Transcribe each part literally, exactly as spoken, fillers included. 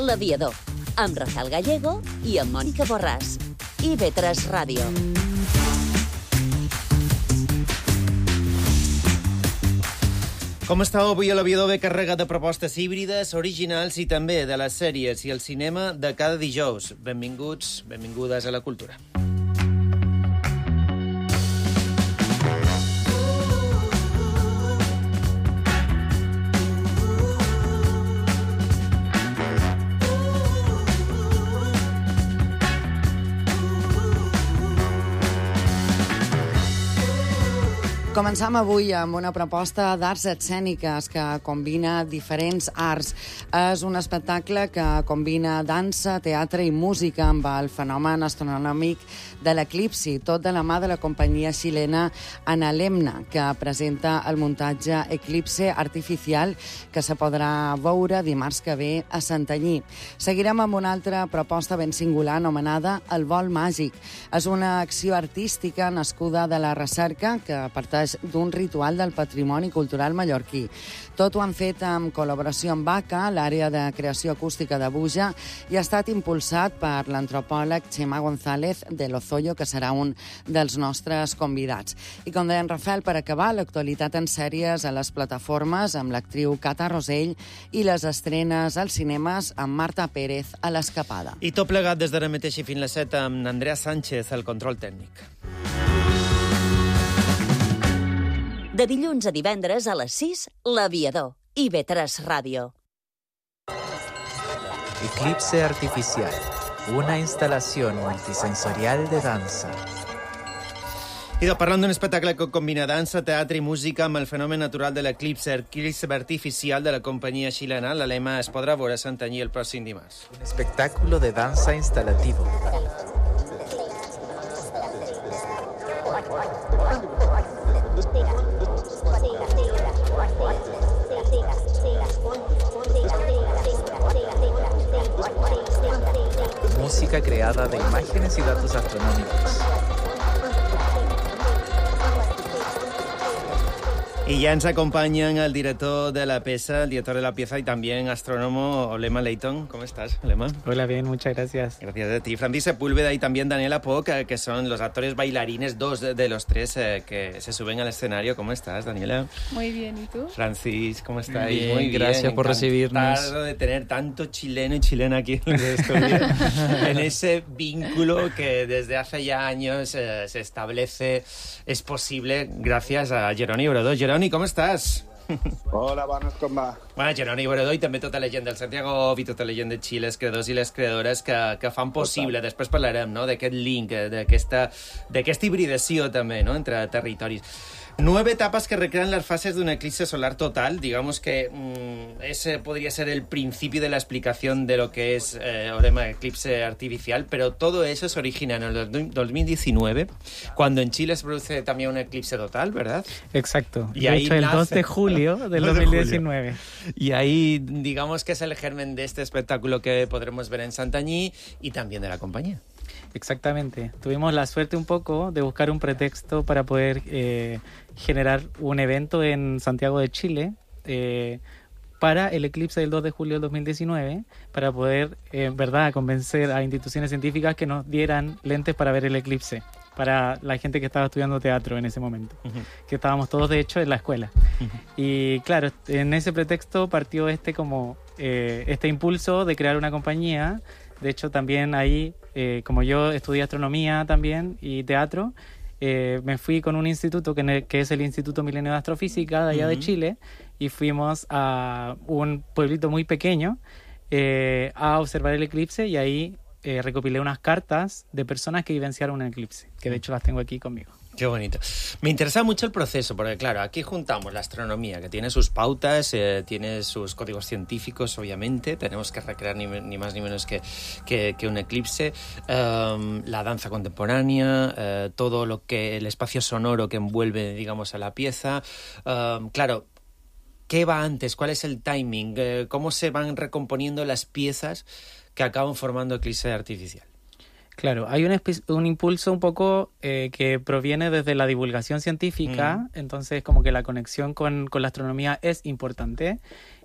L'Aviador, amb Rafael Gallego i amb Mònica Borràs. I ve tres Ràdio. Com estàu? Avui a l'Aviador ve carregat de propostes híbrides, originals i també de les sèries i el cinema de cada dijous. Benvinguts, benvingudes a la cultura. Començam avui amb una proposta d'arts escèniques que combina diferents arts. És un espectacle que combina dansa, teatre i música amb el fenomen astronòmic de l'eclipsi, tot de la mà de la companyia xilena Analemna, que presenta el muntatge Eclipse Artificial, que se podrà veure dimarts que ve a Santanyí. Seguirem amb una altra proposta ben singular anomenada El vol màgic. És una acció artística nascuda de la recerca que parteix d'un ritual del patrimoni cultural mallorquí. Tot ho han fet en col·laboració amb A C A, l'àrea de creació acústica de Buja, i ha estat impulsat per l'antropòleg Chema González de Lozoyo, que serà un dels nostres convidats. I com deia en Rafael, per acabar, l'actualitat en sèries a les plataformes amb l'actriu Cata Rosell i les estrenes als cinemes amb Marta Pérez a l'Escapada. I tot plegat des d'ara mateix i fins les set amb Andrea Sánchez, al control tècnic. De dilluns a divendres a les sis, L'Aviador. I ve tres Ràdio. Eclipse Artificial, una instalación multisensorial de dansa. I doncs, parlant d'un espectacle que combina dansa, teatre i música amb el fenomen natural de l'eclipse, Eclipse Artificial de la companyia xilena, la Lema es podrà veure a Santanyí el pròxim dimarts. Un espectáculo de danza instalativo. Música creada de imágenes y datos astronómicos. Y ya nos acompañan el director de la pieza, el director de la pieza y también astrónomo Olema Leighton. ¿Cómo estás, Olema? Hola, bien, muchas gracias. Gracias a ti. Francis Sepúlveda y también Daniela Poc, eh, que son los actores bailarines, dos de, de los tres eh, que se suben al escenario. ¿Cómo estás, Daniela? Muy bien, ¿y tú? Francis, ¿cómo estáis? Bien, Muy bien, gracias por recibirnos. Encantado de tener tanto chileno y chilena aquí en el estudio, en ese vínculo que desde hace ya años eh, se establece, es posible gracias a Jeroni Brodó. Jeroni, ¿cómo estás? Hola, bones, com va? Bueno, Jeroni Brodó i també tota la gent del Santiago i tota la gent de Xile, els creadors i les creadores que, que fan possible. Total. Després parlarem, no?, d'aquest link, d'aquesta d'aquesta hibridació també, no?, entre territoris. Nueve etapas que recrean las fases de un eclipse solar total. Digamos que mmm, ese podría ser el principio de la explicación de lo que es eh, Olema eclipse artificial, pero todo eso se origina en el dos mil diecinueve, cuando en Chile se produce también un eclipse total, ¿verdad? Exacto. Y de ahí hecho, el nace... dos de julio del dos dos de mil diecinueve. Julio. Y ahí, digamos que es el germen de este espectáculo que podremos ver en Santanyí y también de la compañía. Exactamente. Tuvimos la suerte un poco de buscar un pretexto para poder eh, generar un evento en Santiago de Chile eh, para el eclipse del dos de julio del dos mil diecinueve, para poder, en eh, verdad, convencer a instituciones científicas que nos dieran lentes para ver el eclipse, para la gente que estaba estudiando teatro en ese momento, uh-huh. que estábamos todos, de hecho, en la escuela. Uh-huh. Y claro, en ese pretexto partió este, como, eh, este impulso de crear una compañía. De hecho, también ahí, eh, como yo estudié astronomía también y teatro, eh, me fui con un instituto que, que es el Instituto Milenio de Astrofísica de allá uh-huh. de Chile, y fuimos a un pueblito muy pequeño eh, a observar el eclipse, y ahí eh, recopilé unas cartas de personas que vivenciaron un eclipse, que de hecho las tengo aquí conmigo. Qué bonito. Me interesa mucho el proceso, porque claro, aquí juntamos la astronomía, que tiene sus pautas, eh, tiene sus códigos científicos, obviamente, tenemos que recrear ni, ni más ni menos que, que, que un eclipse, um, la danza contemporánea, uh, todo lo que, el espacio sonoro que envuelve, digamos, a la pieza. Um, claro, ¿qué va antes? ¿Cuál es el timing? Uh, ¿Cómo se van recomponiendo las piezas que acaban formando Eclipse Artificial? Claro, hay un, espe- un impulso un poco eh, que proviene desde la divulgación científica, mm. entonces como que la conexión con, con la astronomía es importante,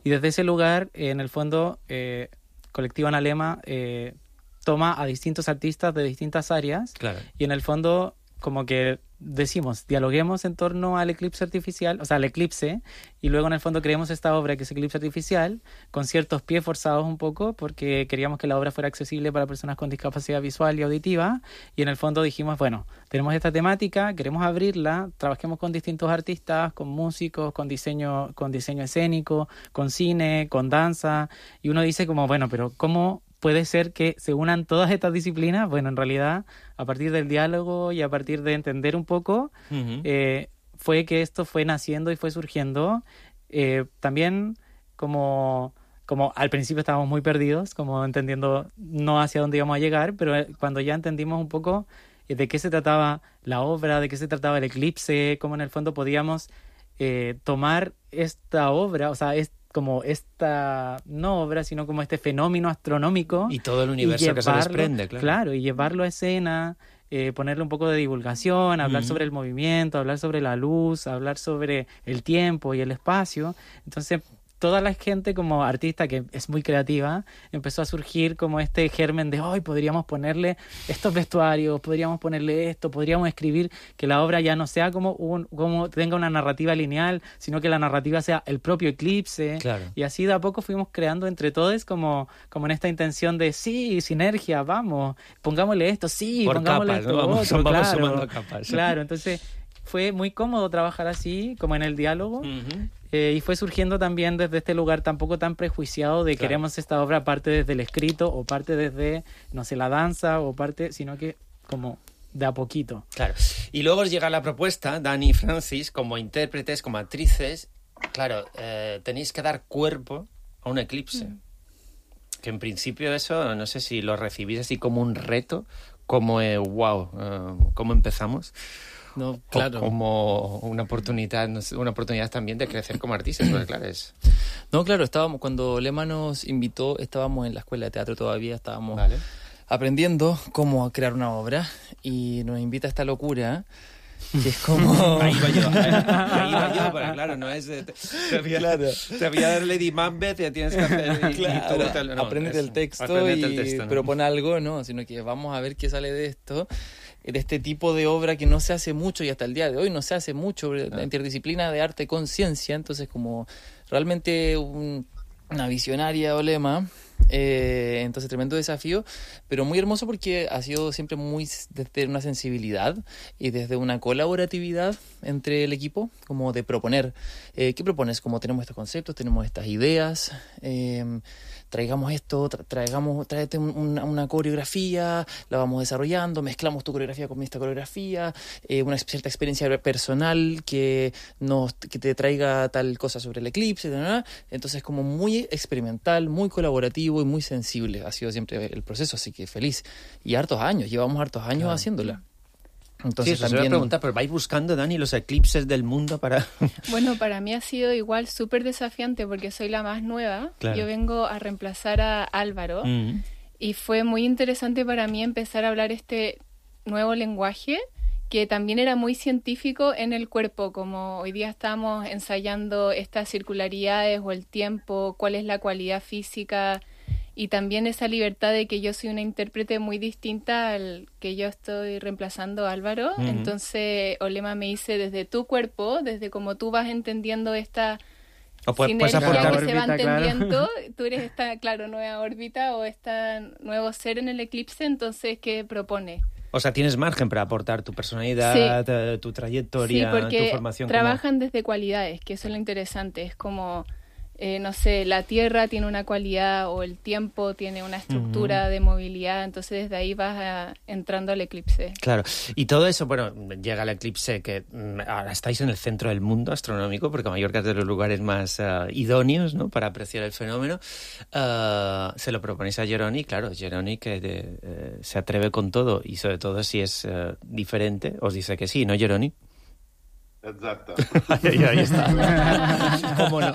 y desde ese lugar, eh, en el fondo, eh, Colectivo Analema eh, toma a distintos artistas de distintas áreas, claro. y en el fondo como que decimos, dialoguemos en torno al eclipse artificial, o sea, al eclipse, y luego en el fondo creemos esta obra que es Eclipse Artificial, con ciertos pies forzados un poco, porque queríamos que la obra fuera accesible para personas con discapacidad visual y auditiva, y en el fondo dijimos, bueno, tenemos esta temática, queremos abrirla, trabajemos con distintos artistas, con músicos, con diseño, con diseño escénico, con cine, con danza, y uno dice como, bueno, pero ¿cómo puede ser que se unan todas estas disciplinas? Bueno, en realidad, a partir del diálogo y a partir de entender un poco, uh-huh. eh, fue que esto fue naciendo y fue surgiendo. Eh, también como, como al principio estábamos muy perdidos, como entendiendo no hacia dónde íbamos a llegar, pero cuando ya entendimos un poco de qué se trataba la obra, de qué se trataba el eclipse, cómo en el fondo podíamos eh, tomar esta obra, o sea, este como esta, no obra, sino como este fenómeno astronómico. Y todo el universo llevarlo, que se desprende, claro. Claro, y llevarlo a escena, eh, ponerle un poco de divulgación, hablar uh-huh. sobre el movimiento, hablar sobre la luz, hablar sobre el tiempo y el espacio. Entonces, toda la gente como artista que es muy creativa empezó a surgir como este germen de hoy podríamos ponerle estos vestuarios, podríamos ponerle esto, podríamos escribir que la obra ya no sea como un como tenga una narrativa lineal, sino que la narrativa sea el propio eclipse. Claro. Y así de a poco fuimos creando entre todos como, como en esta intención de sí, sinergia, vamos, pongámosle esto, sí, por pongámosle capas, esto, ¿no? Vamos, otro, vamos claro, sumando capas. Claro, entonces fue muy cómodo trabajar así, como en el diálogo. Uh-huh. Eh, y fue surgiendo también desde este lugar tampoco tan prejuiciado de claro. queremos esta obra parte desde el escrito o parte desde, no sé, la danza o parte, sino que como de a poquito. Claro. Y luego os llega la propuesta, Dani y Francis, como intérpretes, como actrices, claro, eh, tenéis que dar cuerpo a un eclipse. Mm. Que en principio eso, no sé si lo recibís así como un reto, como, eh, wow, uh, ¿cómo empezamos? No, claro. O como una oportunidad, una oportunidad también de crecer como artistas, porque claro es... No, claro, estábamos, cuando Lema nos invitó, estábamos en la escuela de teatro todavía, estábamos vale. aprendiendo cómo crear una obra, y nos invita a esta locura, que es como... Ahí va yo, ahí va yo, pero claro, no es... Te, te, voy a, claro. te voy a dar Lady Macbeth y tienes que hacer... Y, claro, y tú, no, aprendete es, el texto aprendete y el texto, ¿no? propon algo, ¿no? Sino que vamos a ver qué sale de esto, de este tipo de obra que no se hace mucho y hasta el día de hoy no se hace mucho, la ah. interdisciplina de arte con ciencia, entonces como realmente un, una visionaria o Lema, eh, entonces tremendo desafío, pero muy hermoso porque ha sido siempre muy desde una sensibilidad y desde una colaboratividad entre el equipo, como de proponer, eh, ¿qué propones? Como tenemos estos conceptos, tenemos estas ideas, eh, traigamos esto, tra- traigamos, tráete un, una, una coreografía, la vamos desarrollando, mezclamos tu coreografía con esta coreografía, eh, una cierta experiencia personal que nos que te traiga tal cosa sobre el eclipse, ¿no? Entonces como muy experimental, muy colaborativo y muy sensible ha sido siempre el proceso, así que feliz. Y hartos años, llevamos hartos años claro. haciéndola. Entonces sí, eso también... se voy a preguntar, pero ¿vais buscando, Dani, los eclipses del mundo para...? Bueno, para mí ha sido igual súper desafiante porque soy la más nueva. Claro. Yo vengo a reemplazar a Álvaro mm. y fue muy interesante para mí empezar a hablar este nuevo lenguaje que también era muy científico en el cuerpo, como hoy día estamos ensayando estas circularidades o el tiempo, cuál es la cualidad física... Y también esa libertad de que yo soy una intérprete muy distinta al que yo estoy reemplazando a Álvaro. Uh-huh. Entonces, Olema me dice desde tu cuerpo, desde cómo tú vas entendiendo esta o puedes, sinergia puedes que órbita, se va entendiendo. Claro. Tú eres esta, claro, nueva órbita o este nuevo ser en el eclipse, entonces, ¿qué propone? O sea, tienes margen para aportar tu personalidad, sí. tu trayectoria, sí, porque tu formación. trabajan como... desde cualidades, que eso es lo interesante. Es como... Eh, no sé, la tierra tiene una cualidad o el tiempo tiene una estructura uh-huh. de movilidad, entonces desde ahí vas a, entrando al eclipse. Claro, y todo eso, bueno, llega el eclipse que mm, ahora estáis en el centro del mundo astronómico, porque Mallorca es de los lugares más uh, idóneos, ¿no?, para apreciar el fenómeno. Uh, se lo proponéis a Jeroni, claro, Jeroni que de, eh, se atreve con todo y sobre todo si es uh, diferente, os dice que sí, ¿no, Jeroni? Exacto. ahí, ahí está. ¿Cómo no?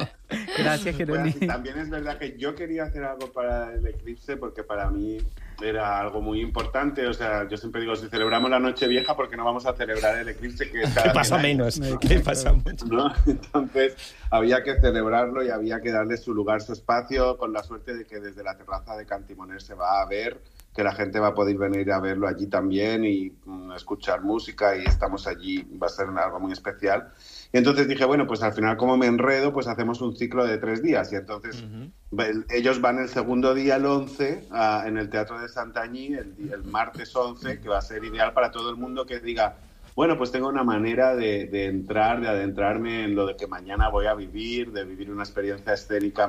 Gracias, Jeroni. Pues, también es verdad que yo quería hacer algo para el eclipse porque para mí era algo muy importante. O sea, yo siempre digo, si celebramos la Nochevieja, ¿por qué no vamos a celebrar el eclipse que está? ¿Qué pasa menos? ¿Qué pasa mucho? ¿No? Entonces, había que celebrarlo y había que darle su lugar, su espacio, con la suerte de que desde la terraza de Cantimoner se va a ver, que la gente va a poder venir a verlo allí también y um, escuchar música, y estamos allí, va a ser algo muy especial. Y entonces dije, bueno, pues al final, como me enredo, pues hacemos un ciclo de tres días. Y entonces uh-huh. el, ellos van el segundo día, el once, a, en el Teatro de Santanyí, el, el martes once, que va a ser ideal para todo el mundo que diga, bueno, pues tengo una manera de, de entrar, de adentrarme en lo de que mañana voy a vivir, de vivir una experiencia escénica,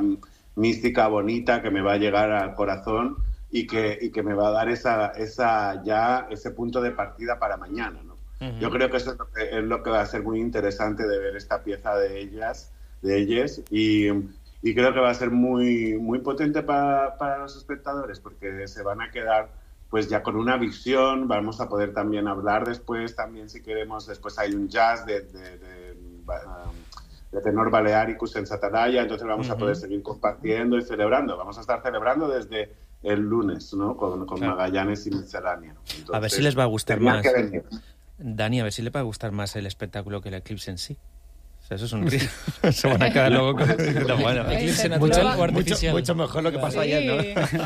mística, bonita, que me va a llegar al corazón y que, y que me va a dar esa, esa ya ese punto de partida para mañana, ¿no? Uh-huh. Yo creo que eso es lo que, es lo que va a ser muy interesante de ver esta pieza de ellas, de ellas, y, y creo que va a ser muy, muy potente para, para los espectadores, porque se van a quedar pues ya con una visión. Vamos a poder también hablar después, también si queremos, después hay un jazz de, de, de, de tenor Balearicus en Satanaya, entonces vamos uh-huh. a poder seguir compartiendo y celebrando. Vamos a estar celebrando desde el lunes, ¿no? Con, con claro. Magallanes y Miscelánea. Entonces, a ver si les va a gustar más. Dani, a ver si le va a gustar más el espectáculo que el eclipse en sí. O sea, eso es un río. Se van a quedar luego con lo bueno. Eclipse natural o artificial. Mucho, mucho mejor lo que pasó sí. ayer, ¿no?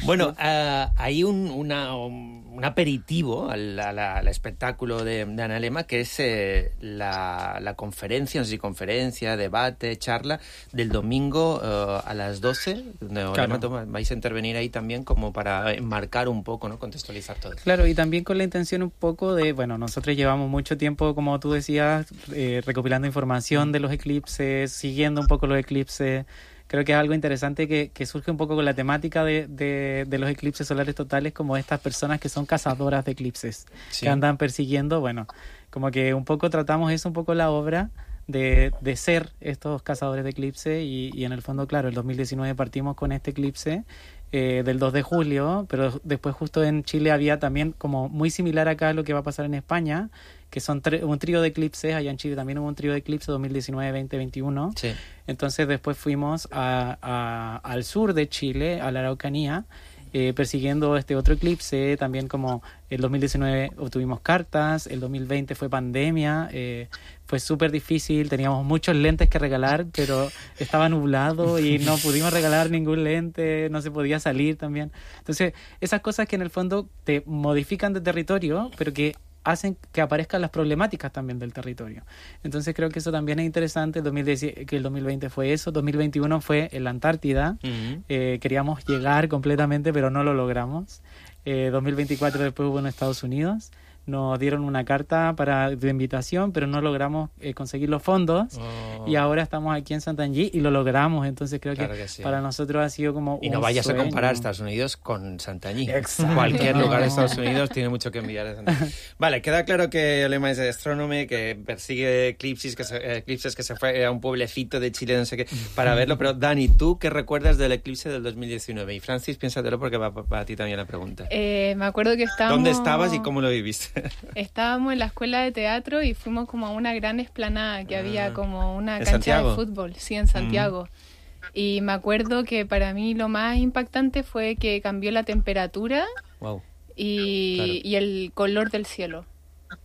Bueno, uh, hay un, una, un aperitivo al, al, al espectáculo de, de Analema, que es eh, la, la conferencia, no sé si conferencia, debate, charla, del domingo uh, a las doce, donde claro. Olema, vais a intervenir ahí también como para enmarcar un poco, ¿no? Contextualizar todo. Claro, y también con la intención un poco de, bueno, nosotros llevamos mucho tiempo, como tú decías, eh, recopilando información de los eclipses, siguiendo un poco los eclipses. Creo que es algo interesante que, que surge un poco con la temática de, de, de los eclipses solares totales, como estas personas que son cazadoras de eclipses, sí. que andan persiguiendo, bueno, como que un poco tratamos eso, un poco la obra de, de ser estos cazadores de eclipse, y, y en el fondo, claro, el dos mil diecinueve partimos con este eclipse eh, del dos de julio, pero después justo en Chile había también, como muy similar acá a lo que va a pasar en España, que son tre- un trío de eclipses. Allá en Chile también hubo un trío de eclipses dos mil diecinueve, veinte, veintiuno. Sí. Entonces después fuimos a, a, al sur de Chile, a la Araucanía, eh, persiguiendo este otro eclipse. También, como el dos mil diecinueve obtuvimos cartas, el dos mil veinte fue pandemia, eh, fue súper difícil, teníamos muchos lentes que regalar, pero estaba nublado y no pudimos regalar ningún lente, no se podía salir también. Entonces, esas cosas que en el fondo te modifican de territorio, pero que hacen que aparezcan las problemáticas también del territorio. Entonces creo que eso también es interesante. El dos mil diez, que el dos mil veinte fue eso, dos mil veintiuno fue en la Antártida. Uh-huh. eh, queríamos llegar completamente, pero no lo logramos. eh, dos mil veinticuatro después hubo en Estados Unidos. Nos dieron una carta para de invitación, pero no logramos eh, conseguir los fondos. Oh. Y ahora estamos aquí en Santanyí y lo logramos. Entonces creo claro que, que sí. para nosotros ha sido como y no un vayas sueño. a comparar Estados Unidos con Santanyí. Exacto. Cualquier lugar de Estados Unidos tiene mucho que enviar a Santanyí. Vale, queda claro que Olema es astrónome, que persigue eclipses, que se, eclipses, que se fue a un pueblecito de Chile, no sé qué, para verlo. Pero Dani, ¿tú qué recuerdas del eclipse del dos mil diecinueve? Y Francis, piénsatelo porque va para ti también la pregunta. Eh, me acuerdo que estábamos... ¿Dónde estabas y cómo lo viviste? Estábamos en la escuela de teatro y fuimos como a una gran explanada que ah, había como una cancha Santiago? de fútbol, sí, en Santiago. Mm. Y me acuerdo que para mí lo más impactante fue que cambió la temperatura wow. y, claro. y el color del cielo.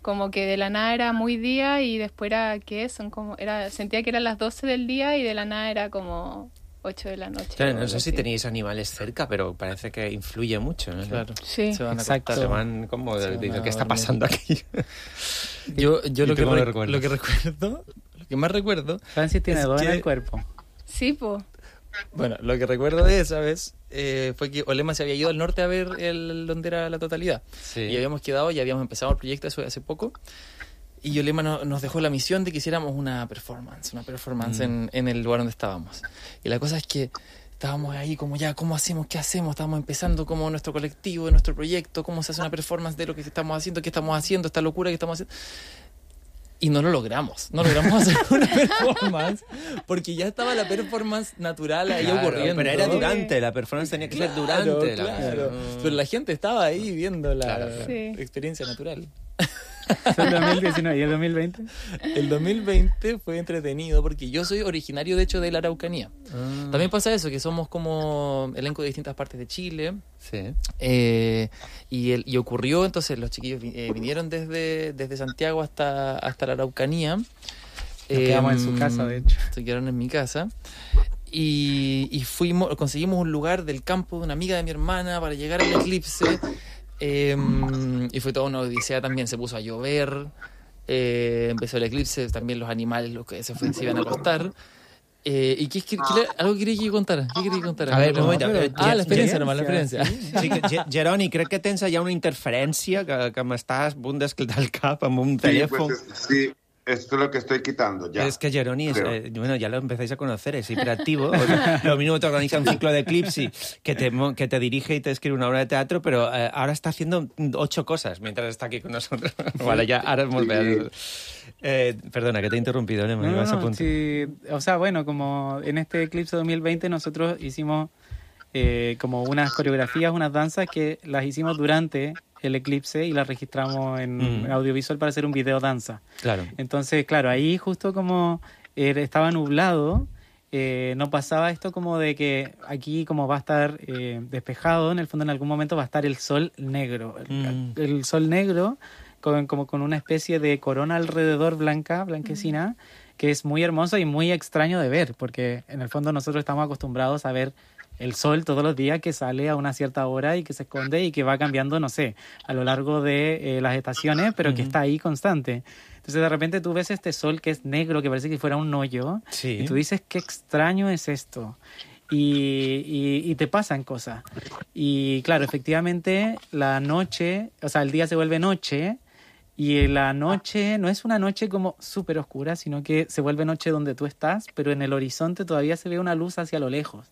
Como que de la nada era muy día y después era, ¿qué? Son como, era, sentía que eran las doce del día y de la nada era como ocho de la noche. Claro, no sé así. Si tenéis animales cerca, pero parece que influye mucho, ¿no? Claro. Sí. Se van a Exacto. Se van como de, de, de ¿qué está pasando aquí? Yo, yo lo, que re- lo que recuerdo, lo que más recuerdo... Francis tiene dos en el cuerpo. Sí, po. Bueno, lo que recuerdo de esa vez eh, fue que Olema se había ido al norte a ver el, donde era la totalidad. Sí. Y habíamos quedado, ya habíamos empezado el proyecto eso hace poco. Y Olema no, nos dejó la misión de que hiciéramos una performance, una performance mm. en, en el lugar donde estábamos. Y la cosa es que estábamos ahí como ya, ¿cómo hacemos? ¿Qué hacemos? Estábamos empezando como nuestro colectivo, nuestro proyecto, cómo se hace una performance de lo que estamos haciendo, qué estamos haciendo, esta locura que estamos haciendo. Y no lo logramos, no logramos hacer una performance porque ya estaba la performance natural ahí claro, ocurriendo. Pero era durante, la performance tenía que claro, ser durante. Claro. La... Pero la gente estaba ahí viendo la claro, sí. experiencia natural. Fue el dos mil diecinueve. ¿Y el dos mil veinte? El dos mil veinte fue entretenido porque yo soy originario, de hecho, de la Araucanía. Ah. También pasa eso, que somos como elenco de distintas partes de Chile. Sí. Eh, y, el, y ocurrió, entonces los chiquillos eh, vinieron desde, desde Santiago hasta, hasta la Araucanía. Nos eh, quedamos en su casa, de hecho. Se quedaron en mi casa. Y, y fuimos, conseguimos un lugar del campo de una amiga de mi hermana para llegar al eclipse. Eh, y fue toda una odisea también, se puso a llover, eh, empezó el eclipse, también los animales los que se, fue, se iban a acostar. Eh, ¿Y qué, qué, qué, algo quería que contara? ¿Qué quería contar? A ver, un moment. No, ah, l'experiència, només, l'experiència. Sí, sí, Jeroni, crec que tens allà una interferència que, que m'estàs a punt d'esclatar el cap amb un telèfon. Sí, pues, sí. Esto es lo que estoy quitando ya. Es que Jeroni, es, eh, bueno, ya lo empezáis a conocer, es hiperactivo. O sea, lo mismo te organiza un ciclo de eclipse que te, que te dirige y te escribe una obra de teatro, pero eh, ahora está haciendo ocho cosas mientras está aquí con nosotros. Vale, ya, ahora hemos sí. eh, Perdona, que te he interrumpido, ¿no? No, no, no, sí, o sea, bueno, como en este eclipse dos mil veinte nosotros hicimos eh, como unas coreografías, unas danzas que las hicimos durante el eclipse y la registramos en mm. audiovisual para hacer un video danza. Claro. Entonces, claro, ahí justo como eh, estaba nublado, eh, no pasaba esto como de que aquí como va a estar eh, despejado, en el fondo en algún momento va a estar el sol negro. Mm. El, el sol negro con, como con una especie de corona alrededor blanca, blanquecina, mm. que es muy hermoso y muy extraño de ver, porque en el fondo nosotros estamos acostumbrados a ver el sol todos los días que sale a una cierta hora y que se esconde y que va cambiando, no sé, a lo largo de eh, las estaciones, pero uh-huh. que está ahí constante. Entonces de repente tú ves este sol que es negro, que parece que fuera un hoyo, sí. y tú dices, qué extraño es esto. Y, y, y te pasan cosas. Y claro, efectivamente la noche, o sea, el día se vuelve noche, y la noche no es una noche como súper oscura, sino que se vuelve noche donde tú estás, pero en el horizonte todavía se ve una luz hacia lo lejos.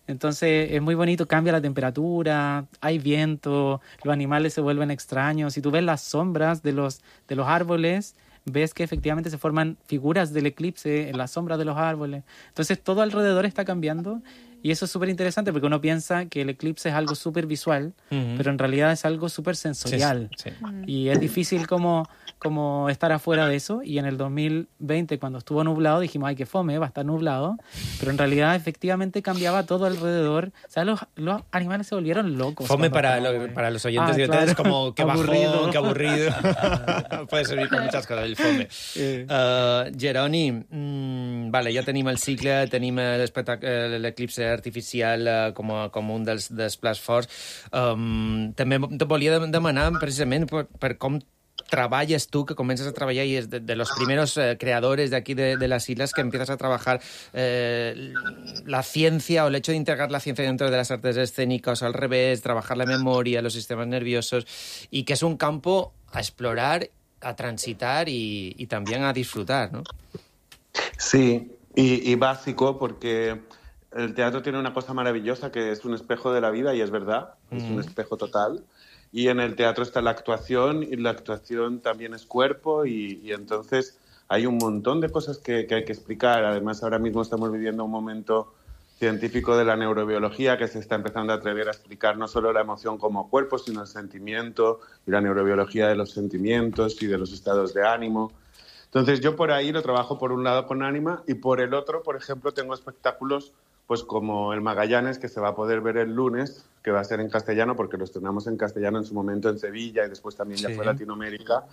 Entonces es muy bonito, cambia la temperatura, hay viento, los animales se vuelven extraños. Si tú ves las sombras de los, de los árboles, ves que efectivamente se forman figuras del eclipse en las sombras de los árboles. Entonces todo alrededor está cambiando y eso es súper interesante porque uno piensa que el eclipse es algo súper visual, uh-huh. pero en realidad es algo súper sensorial. Sí, sí. Y es difícil como, como estar afuera de eso. Y en el dos mil veinte, cuando estuvo nublado, dijimos, ay, qué fome, va a estar nublado. Pero en realidad efectivamente cambiaba todo alrededor. O sea, los, los animales se volvieron locos. Fome para, lo, para los oyentes ah, y oyentes, claro. como que bajón, qué aburrido. Puede servir para muchas coses, el fome. Sí. Uh, Jeroni, mm, vale, ja tenim el cicle, tenim l'eclipse artificial uh, com, a, com un dels, dels plats forts. Um, també te volia demanar precisament per, per com trabajas tú, que comienzas a trabajar y es de, de los primeros eh, creadores de aquí de, de las islas que empiezas a trabajar eh, la ciencia o el hecho de integrar la ciencia dentro de las artes escénicas o al revés, trabajar la memoria, los sistemas nerviosos y que es un campo a explorar, a transitar y, y también a disfrutar, ¿no? Sí, y, y básico porque el teatro tiene una cosa maravillosa que es un espejo de la vida y es verdad, mm. es un espejo total. Y en el teatro está la actuación y la actuación también es cuerpo y, y entonces hay un montón de cosas que, que hay que explicar. Además, ahora mismo estamos viviendo un momento científico de la neurobiología que se está empezando a atrever a explicar no solo la emoción como cuerpo, sino el sentimiento y la neurobiología de los sentimientos y de los estados de ánimo. Entonces yo por ahí lo trabajo por un lado con Anima y por el otro, por ejemplo, tengo espectáculos pues como el Magallanes, que se va a poder ver el lunes, que va a ser en castellano, porque lo estrenamos en castellano en su momento en Sevilla y después también ya sí. fue a Latinoamérica,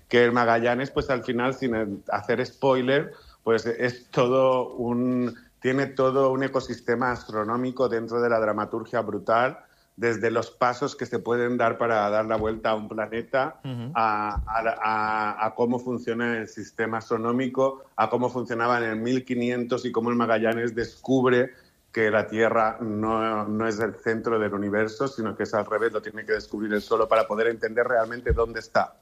que el Magallanes, pues al final, sin hacer spoiler, pues es todo un, tiene todo un ecosistema astronómico dentro de la dramaturgia brutal, desde los pasos que se pueden dar para dar la vuelta a un planeta, uh-huh. a, a, a cómo funciona el sistema astronómico, a cómo funcionaba en el mil quinientos y cómo el Magallanes descubre que la Tierra no, no es el centro del universo, sino que es al revés, lo tiene que descubrir él solo para poder entender realmente dónde está.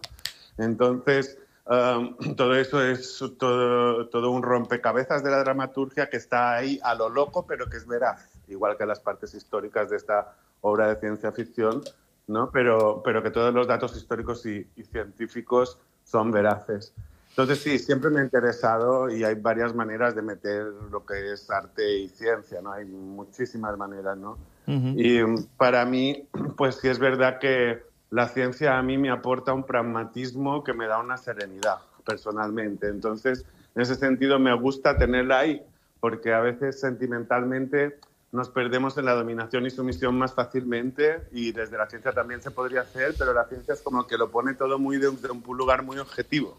Entonces, um, todo eso es todo, todo un rompecabezas de la dramaturgia que está ahí a lo loco, pero que es veraz, igual que las partes históricas de esta obra de ciencia ficción, ¿no? Pero, pero que todos los datos históricos y, y científicos son veraces. Entonces, sí, siempre me ha interesado y hay varias maneras de meter lo que es arte y ciencia, ¿no? Hay muchísimas maneras, ¿no? Uh-huh. Y para mí, pues sí es verdad que la ciencia a mí me aporta un pragmatismo que me da una serenidad personalmente. Entonces, en ese sentido me gusta tenerla ahí, porque a veces sentimentalmente nos perdemos en la dominación y sumisión más fácilmente, y desde la ciencia también se podría hacer, pero la ciencia es como que lo pone todo muy de un, de un lugar muy objetivo.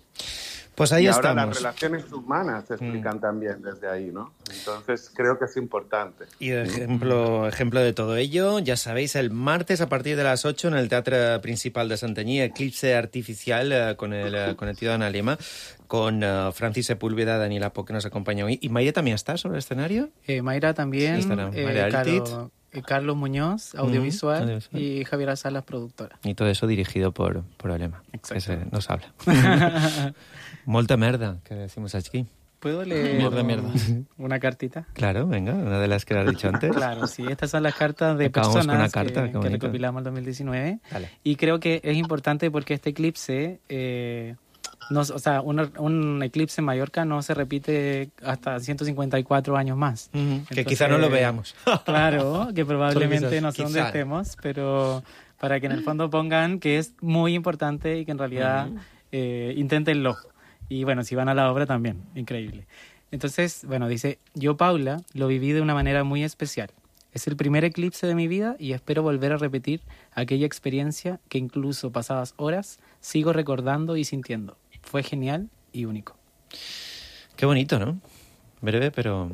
Pues ahí y estamos. ahora las relaciones humanas se explican mm. también desde ahí, ¿no? Entonces creo que es importante. Y ejemplo, ejemplo de todo ello, ya sabéis, el martes a partir de las ocho en el Teatro Principal de Santanyí, Eclipse Artificial eh, con, el, eh, con el tío de Ana Lema, con uh, Francis Sepúlveda, Daniela Po, que nos acompaña hoy. ¿Y Mayra también está sobre el escenario? Eh, Mayra también, sí, eh, Mayra Carlos, eh, Carlos Muñoz, audiovisual, mm, audiovisual, y Javier Salas, productora. Y todo eso dirigido por, por Alema, que se, nos habla. Molta merda, que decimos aquí. ¿Puedo leer mierda, mierda. una cartita? Claro, venga, una de las que has dicho antes. Claro, sí, estas son las cartas de Acabamos personas con una carta, que, que recopilamos en dos mil diecinueve. Dale. Y creo que es importante porque este eclipse, eh, no, o sea, un, un eclipse en Mallorca no se repite hasta ciento cincuenta y cuatro años más. Uh-huh. Entonces, que quizá no lo veamos. Claro, que probablemente no sé dónde quizá. estemos, pero para que en el fondo pongan que es muy importante y que en realidad uh-huh. eh, inténtenlo. Y bueno, si van a la obra también, increíble. Entonces, bueno, dice, yo, Paula, lo viví de una manera muy especial. Es el primer eclipse de mi vida y espero volver a repetir aquella experiencia que incluso pasadas horas sigo recordando y sintiendo. Fue genial y único. Qué bonito, ¿no? Breve, pero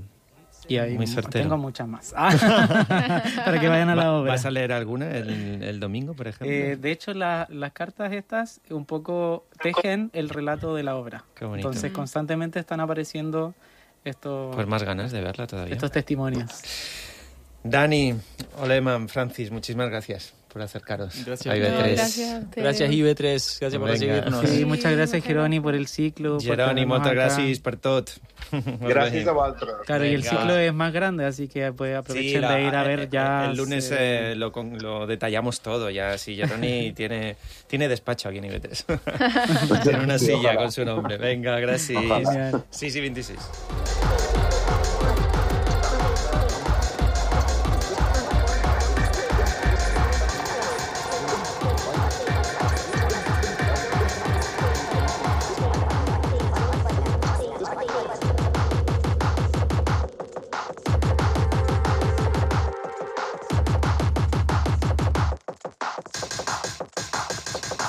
y ahí muy certero. Tengo muchas más. Para que vayan a la obra. ¿Vas a leer alguna el, el domingo, por ejemplo? Eh, de hecho, la, las cartas estas un poco tejen el relato de la obra. Qué bonito. Entonces, constantemente están apareciendo estos... Pues más ganas de verla todavía. Estos testimonios. Dani, Olema, Francis, muchísimas gracias por acercaros gracias. a I B tres. No, gracias, a gracias I B tres, gracias por recibirnos. Sí, muchas gracias, Jeroni, por el ciclo. Jeroni, moltes gràcies per tot. Gràcies a vosaltres. Claro, y el ciclo es más grande, así que pues aprovechen sí, la, de ir a ver el, ya. El lunes eh, lo, lo detallamos todo ya. Sí, Jeroni tiene, tiene despacho aquí en I B tres. Tiene una silla ojalá. Con su nombre. Venga, gracias. Sí, sí, veintiséis.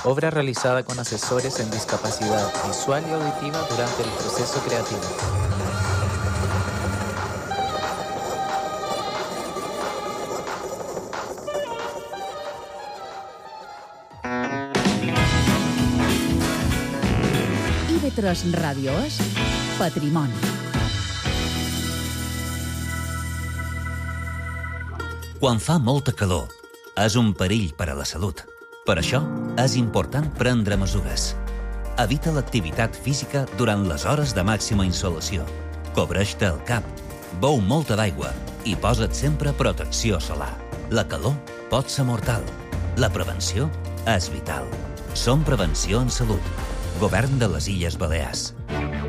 Obra realizada con asesores en discapacidad visual y auditiva durante el proceso creativo. I B tres Ràdio és Patrimoni. Quan fa molta calor, és un perill per a la salut. Per això, és important prendre mesures. Evita l'activitat física durant les hores de màxima insolació. Cobreix-te el cap, beu molta d'aigua i posa't sempre protecció solar. La calor pot ser mortal. La prevenció és vital. Som Prevenció en Salut. Govern de les Illes Balears.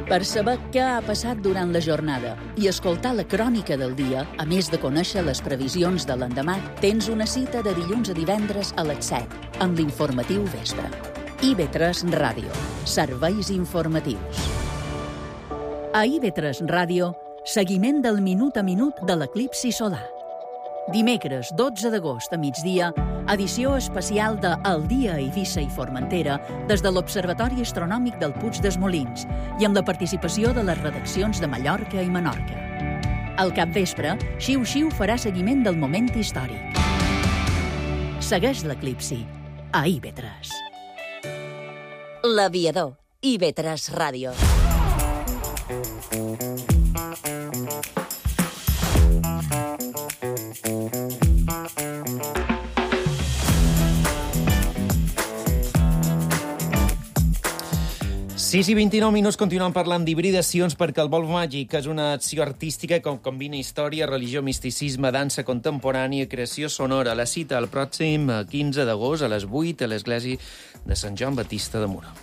Per saber què ha passat durant la jornada i escoltar la crònica del dia, a més de conèixer les previsions de l'endemà, tens una cita de dilluns a divendres a les set, amb l'informatiu Vespre. I B tres Ràdio. Serveis informatius. A I B tres Ràdio, seguiment del minut a minut de l'eclipsi solar. Dimecres dotze d'agost a migdia, edició especial de El dia a Eivissa i Formentera des de l'Observatori Astronòmic del Puig dels Molins i amb la participació de les redaccions de Mallorca i Menorca. Al capvespre, Xiu Xiu farà seguiment del moment històric. Segueix l'eclipsi a I B tres. L'Aviador, I B tres Ràdio. sis i vint-i-nou minuts continuem parlant d'hibridacions perquè el Vol Màgic és una acció artística que combina història, religió, misticisme, dansa contemporània i creació sonora. La cita el pròxim quinze d'agost a les vuit a l'església de Sant Joan Batista de Muro.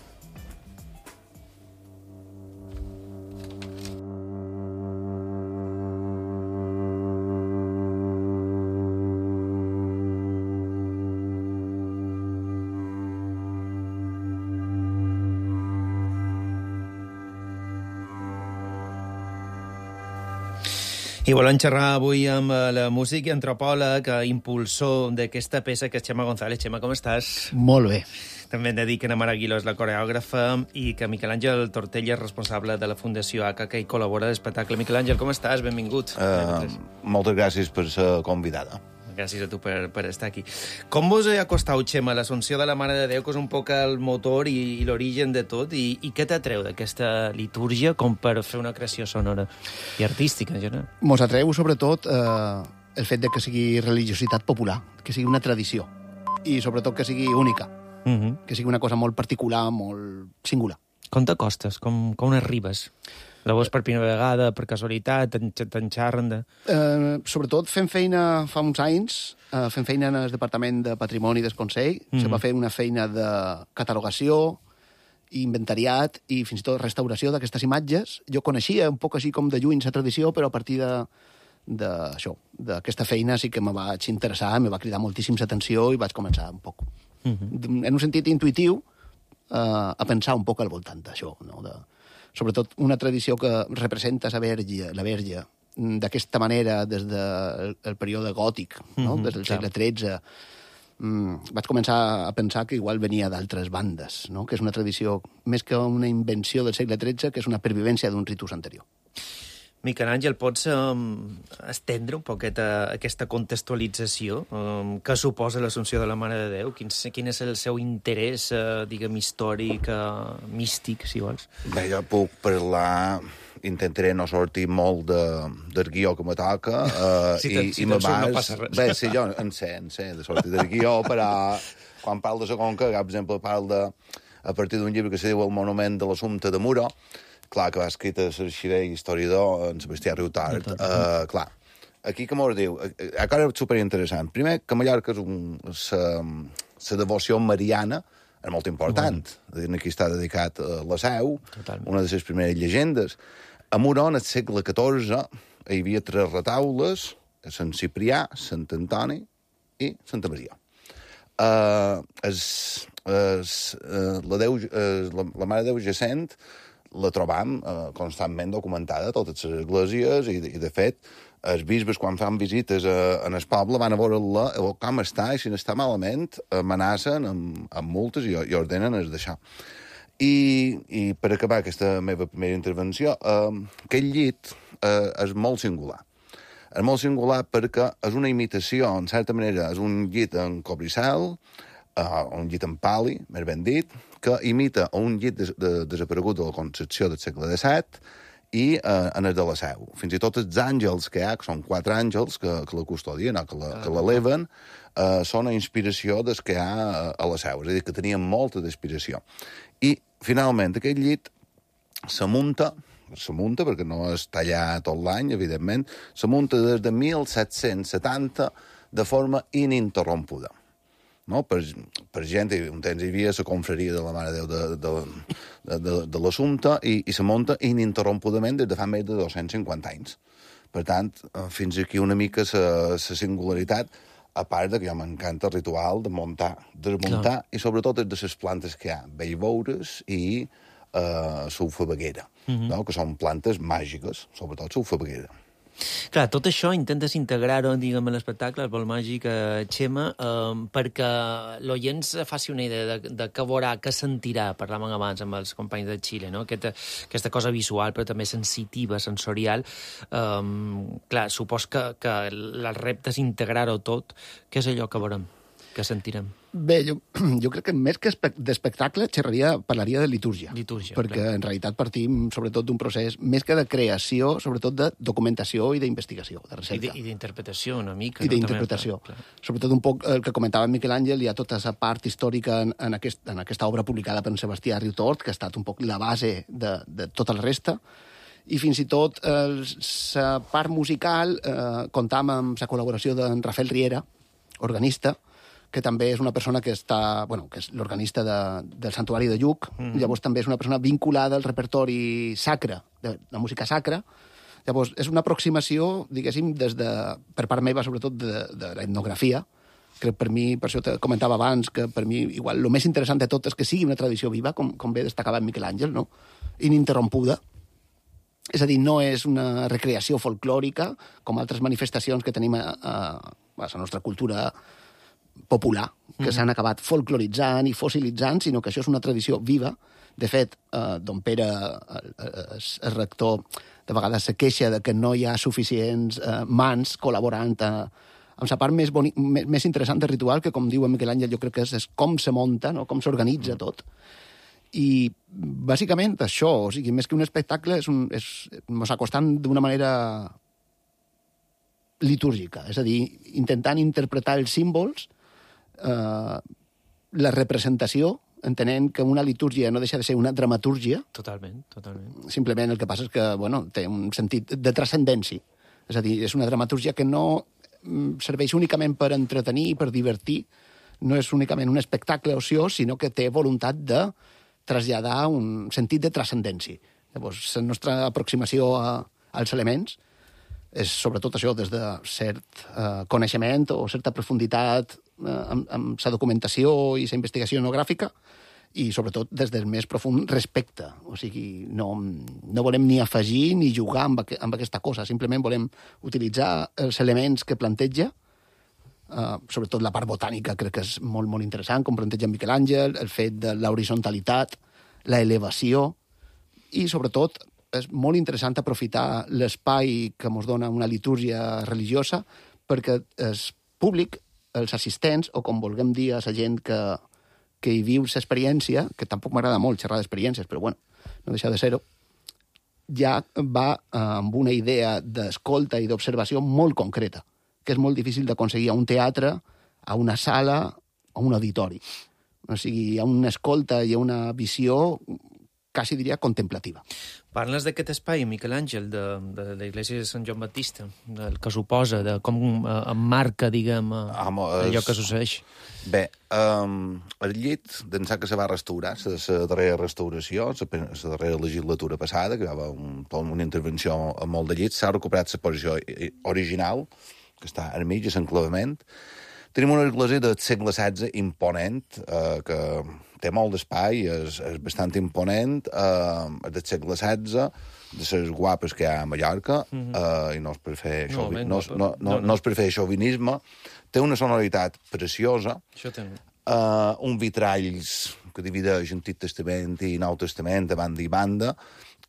I volem xerrar avui amb la músic i antropòleg, impulsor d'aquesta peça, que és Xema González. Xema, com estàs? Molt bé. També hem de dir que Ana Mara Aguiló és la coreògrafa i que Miquel Àngel Tortella és responsable de la Fundació A C A, que hi col·labora a l'espectacle. Miquel Àngel, com estàs? Benvingut. Uh, moltes gràcies per ser convidada. Gràcies a tu per, per estar aquí. Com vos ha costat, Xema, l'Assumpció de la Mare de Déu, que és un poc el motor i, i l'origen de tot, i, i què t'atreu d'aquesta litúrgia com per fer una creació sonora i artística, en general? Mos atreu, sobretot, eh, el fet de que sigui religiositat popular, que sigui una tradició, i sobretot que sigui única, uh-huh. que sigui una cosa molt particular, molt singular. Com t'acostes? Com, com arribes? La veus per primera vegada, per casualitat, te'n xarren de... Eh, sobretot fent feina fa uns anys, eh, fent feina en el Departament de Patrimoni del Consell, mm. se va fer una feina de catalogació, inventariat i fins i tot restauració d'aquestes imatges. Jo coneixia un poc així com de lluny la tradició, però a partir de d'això, d'aquesta feina sí que me vaig interessar, me va cridar moltíssim l'atenció i vaig començar un poc, mm-hmm. en un sentit intuïtiu, eh, a pensar un poc al voltant d'això, no?, de... sobretot una tradició que representa la verge, la verge d'aquesta manera des del de període gòtic, no? Mm-hmm, des del segle tretze. Mm, vaig començar a pensar que igual venia d'altres bandes, no? Que és una tradició, més que una invenció del segle tretze, que és una pervivència d'un ritus anterior. Miquel Àngel, pots um, estendre un poquet a aquesta contextualització um, que suposa l'Assumpció de la Mare de Déu? Quin, quin és el seu interès, uh, diguem, històric, uh, místic, si vols? Bé, jo puc parlar... Intentaré no sortir molt de, del guió que me toca. Uh, si te'n si te surt no passa res. Bé, sí, jo en sé, en sé de sortir del guió, però quan parlo de la Conca, per exemple, parlo de, a partir d'un llibre que se diu El monument de l'Assumpte de Muro, clar, que va escrit a l'arxiver i historiador en Sebastià Riutart. Uh, clar, aquí que m'ho diu, a cosa superinteressant. Primer, que Mallorca és un... la devoció mariana és molt important. Bueno. Aquí està dedicat a la Seu, totalment. Una de les primeres llegendes. A Muro, en el segle catorze, hi havia tres retaules, Sant Ciprià, Sant Antoni i Santa Maria. Uh, es, es, uh, la, Déu, uh, la, la Mare de Déu Jacent la trobam eh, constantment documentada a totes les esglésies i, i de fet, els bisbes, quan fan visites a, en el poble, van a veure-la, com està, i si n'està malament, amenacen amb, amb multes i, i ordenen es deixar. I, I per acabar aquesta meva primera intervenció, eh, aquest llit eh, és molt singular. És molt singular perquè és una imitació, en certa manera, és un llit en cobricel, uh, un llit en pali, més ben dit, que imita un llit de, de, desaparegut de la Concepció del segle disset i uh, en el de la Seu. Fins i tot els àngels que hi ha, que són quatre àngels que, que la custodien o que la, que l'eleven, uh, són a inspiració des que hi ha a la Seu. És a dir, que tenien molta d'inspiració. I, finalment, aquest llit se munta, se munta, perquè no es talla tot l'any, evidentment, se munta des de mil set-cents setanta de forma ininterrompuda. No? Per, per gent, un temps hi havia la confraria de la Mare de Déu de, de, de, de, de l'Assumpte i, i se munta ininterrompudament des de fa més de dos-cents cinquanta anys. Per tant, fins aquí una mica la singularitat, a part de que ja m'encanta el ritual de muntar, desmuntar, Clar. I sobretot de les plantes que hi ha, bellveures i uh, sulfabaguera, mm-hmm. no? Que són plantes màgiques, sobretot sulfabaguera. Clar, tot això intentes integrar-ho, diguem, a l'espectacle, el vol màgic, eh, Xema, eh, perquè l'oient se faci una idea de, de què veurà, què sentirà, parlàvem abans amb els companys de Xile, no? Aquesta, aquesta cosa visual, però també sensitiva, sensorial. Eh, clar, supos que, que el repte és integrar-ho tot. Què és allò que veurem, que sentirem? Bé, jo, jo crec que més que d'espectacle xerraria, parlaria de litúrgia. Litúrgia, perquè clar. En realitat partim sobretot d'un procés més que de creació, sobretot de documentació i d'investigació, de recerca. I d'interpretació una mica. I d'interpretació. No? Sobretot un poc el que comentava Miquel Àngel, hi ha tota la part històrica en, en, aquest, en aquesta obra publicada per en Sebastià Riutort, que ha estat un poc la base de, de tota la resta, i fins i tot la part musical eh, comptam amb la col·laboració d'en Rafael Riera, organista, que també és una persona que està, bueno, que és l'organista de, del Santuari de Lluc, mm. Llavors també és una persona vinculada al repertori sacre, de la música sacra. Llavors, és una aproximació, diguéssim, des de, per part meva, sobretot, de, de l'etnografia, que per mi, per això te comentava abans, que per mi, igual, el més interessant de tot és que sigui una tradició viva, com, com bé destacava en Miquel Àngel, no? Ininterrompuda, És a dir, no és una recreació folclòrica, com altres manifestacions que tenim a, a, a la nostra cultura popular, que mm. s'han acabat folcloritzant i fossilitzant, sinó que això és una tradició viva. De fet, eh, don Pere, el, el, el rector, de vegades se queixa de que no hi ha suficients eh, mans col·laborant a, amb la part més, boni, més, més interessant del ritual, que, com diu en Miquel Àngel, jo crec que és, és com se munta, no? Com s'organitza tot. I, bàsicament, això, o sigui, més que un espectacle, és un, és, mos acostant d'una manera litúrgica, és a dir, intentant interpretar els símbols, eh, la representació, entenent que una litúrgia no deixa de ser una dramatúrgia. Totalment, totalment. Simplement el que passa és que, bueno, té un sentit de transcendència. És a dir, és una dramatúrgia que no serveix únicament per entretenir i per divertir, no és únicament un espectacle ociós, sinó que té voluntat de traslladar un sentit de transcendència. Llavors, la nostra aproximació a, als elements és sobretot això, des de cert eh, coneixement o certa profunditat eh, amb, amb la documentació i la investigació etnogràfica, i sobretot des del més profund respecte. O sigui, no, no volem ni afegir ni jugar amb, aqu amb aquesta cosa, simplement volem utilitzar els elements que planteja, uh, sobretot la part botànica crec que és molt, molt interessant, com planteja Miquel Àngel, el fet de l'horizontalitat, la elevació, i sobretot és molt interessant aprofitar l'espai que ens dona una litúrgia religiosa perquè el públic, els assistents, o com vulguem dir a la gent que que hi viu l'experiència, que tampoc m'agrada molt xerrar d'experiències, però bueno, no deixa de ser-ho, ja va eh, amb una idea d'escolta i d'observació molt concreta, que és molt difícil d'aconseguir a un teatre, a una sala, a un auditori. O sigui, hi ha una escolta i una visió quasi diria contemplativa. Parles d'aquest espai, Miquel Àngel, de, de l'església de Sant Joan Baptista, del que suposa, de com eh, emmarca, diguem, eh, Home, allò és... que succeeix. Bé, um, el llit, d'ençà que se va restaurar, la darrera restauració, la darrera legislatura passada, que hi va un, una intervenció a molt de llits, s'ha recuperat la posició original, que està al mig, a l'enclavament. Tenim una església del segle setze imponent, eh, que té molt d'espai, és, és bastant imponent, eh, del segle setze, de les guapes que hi ha a Mallorca, mm-hmm. eh, i no és per fer, no, xovi, no, no, no, no, no és per fer xovinisme, té una sonoritat preciosa, eh, un vitralls que divideix Antic Testament i Nou Testament a banda i banda,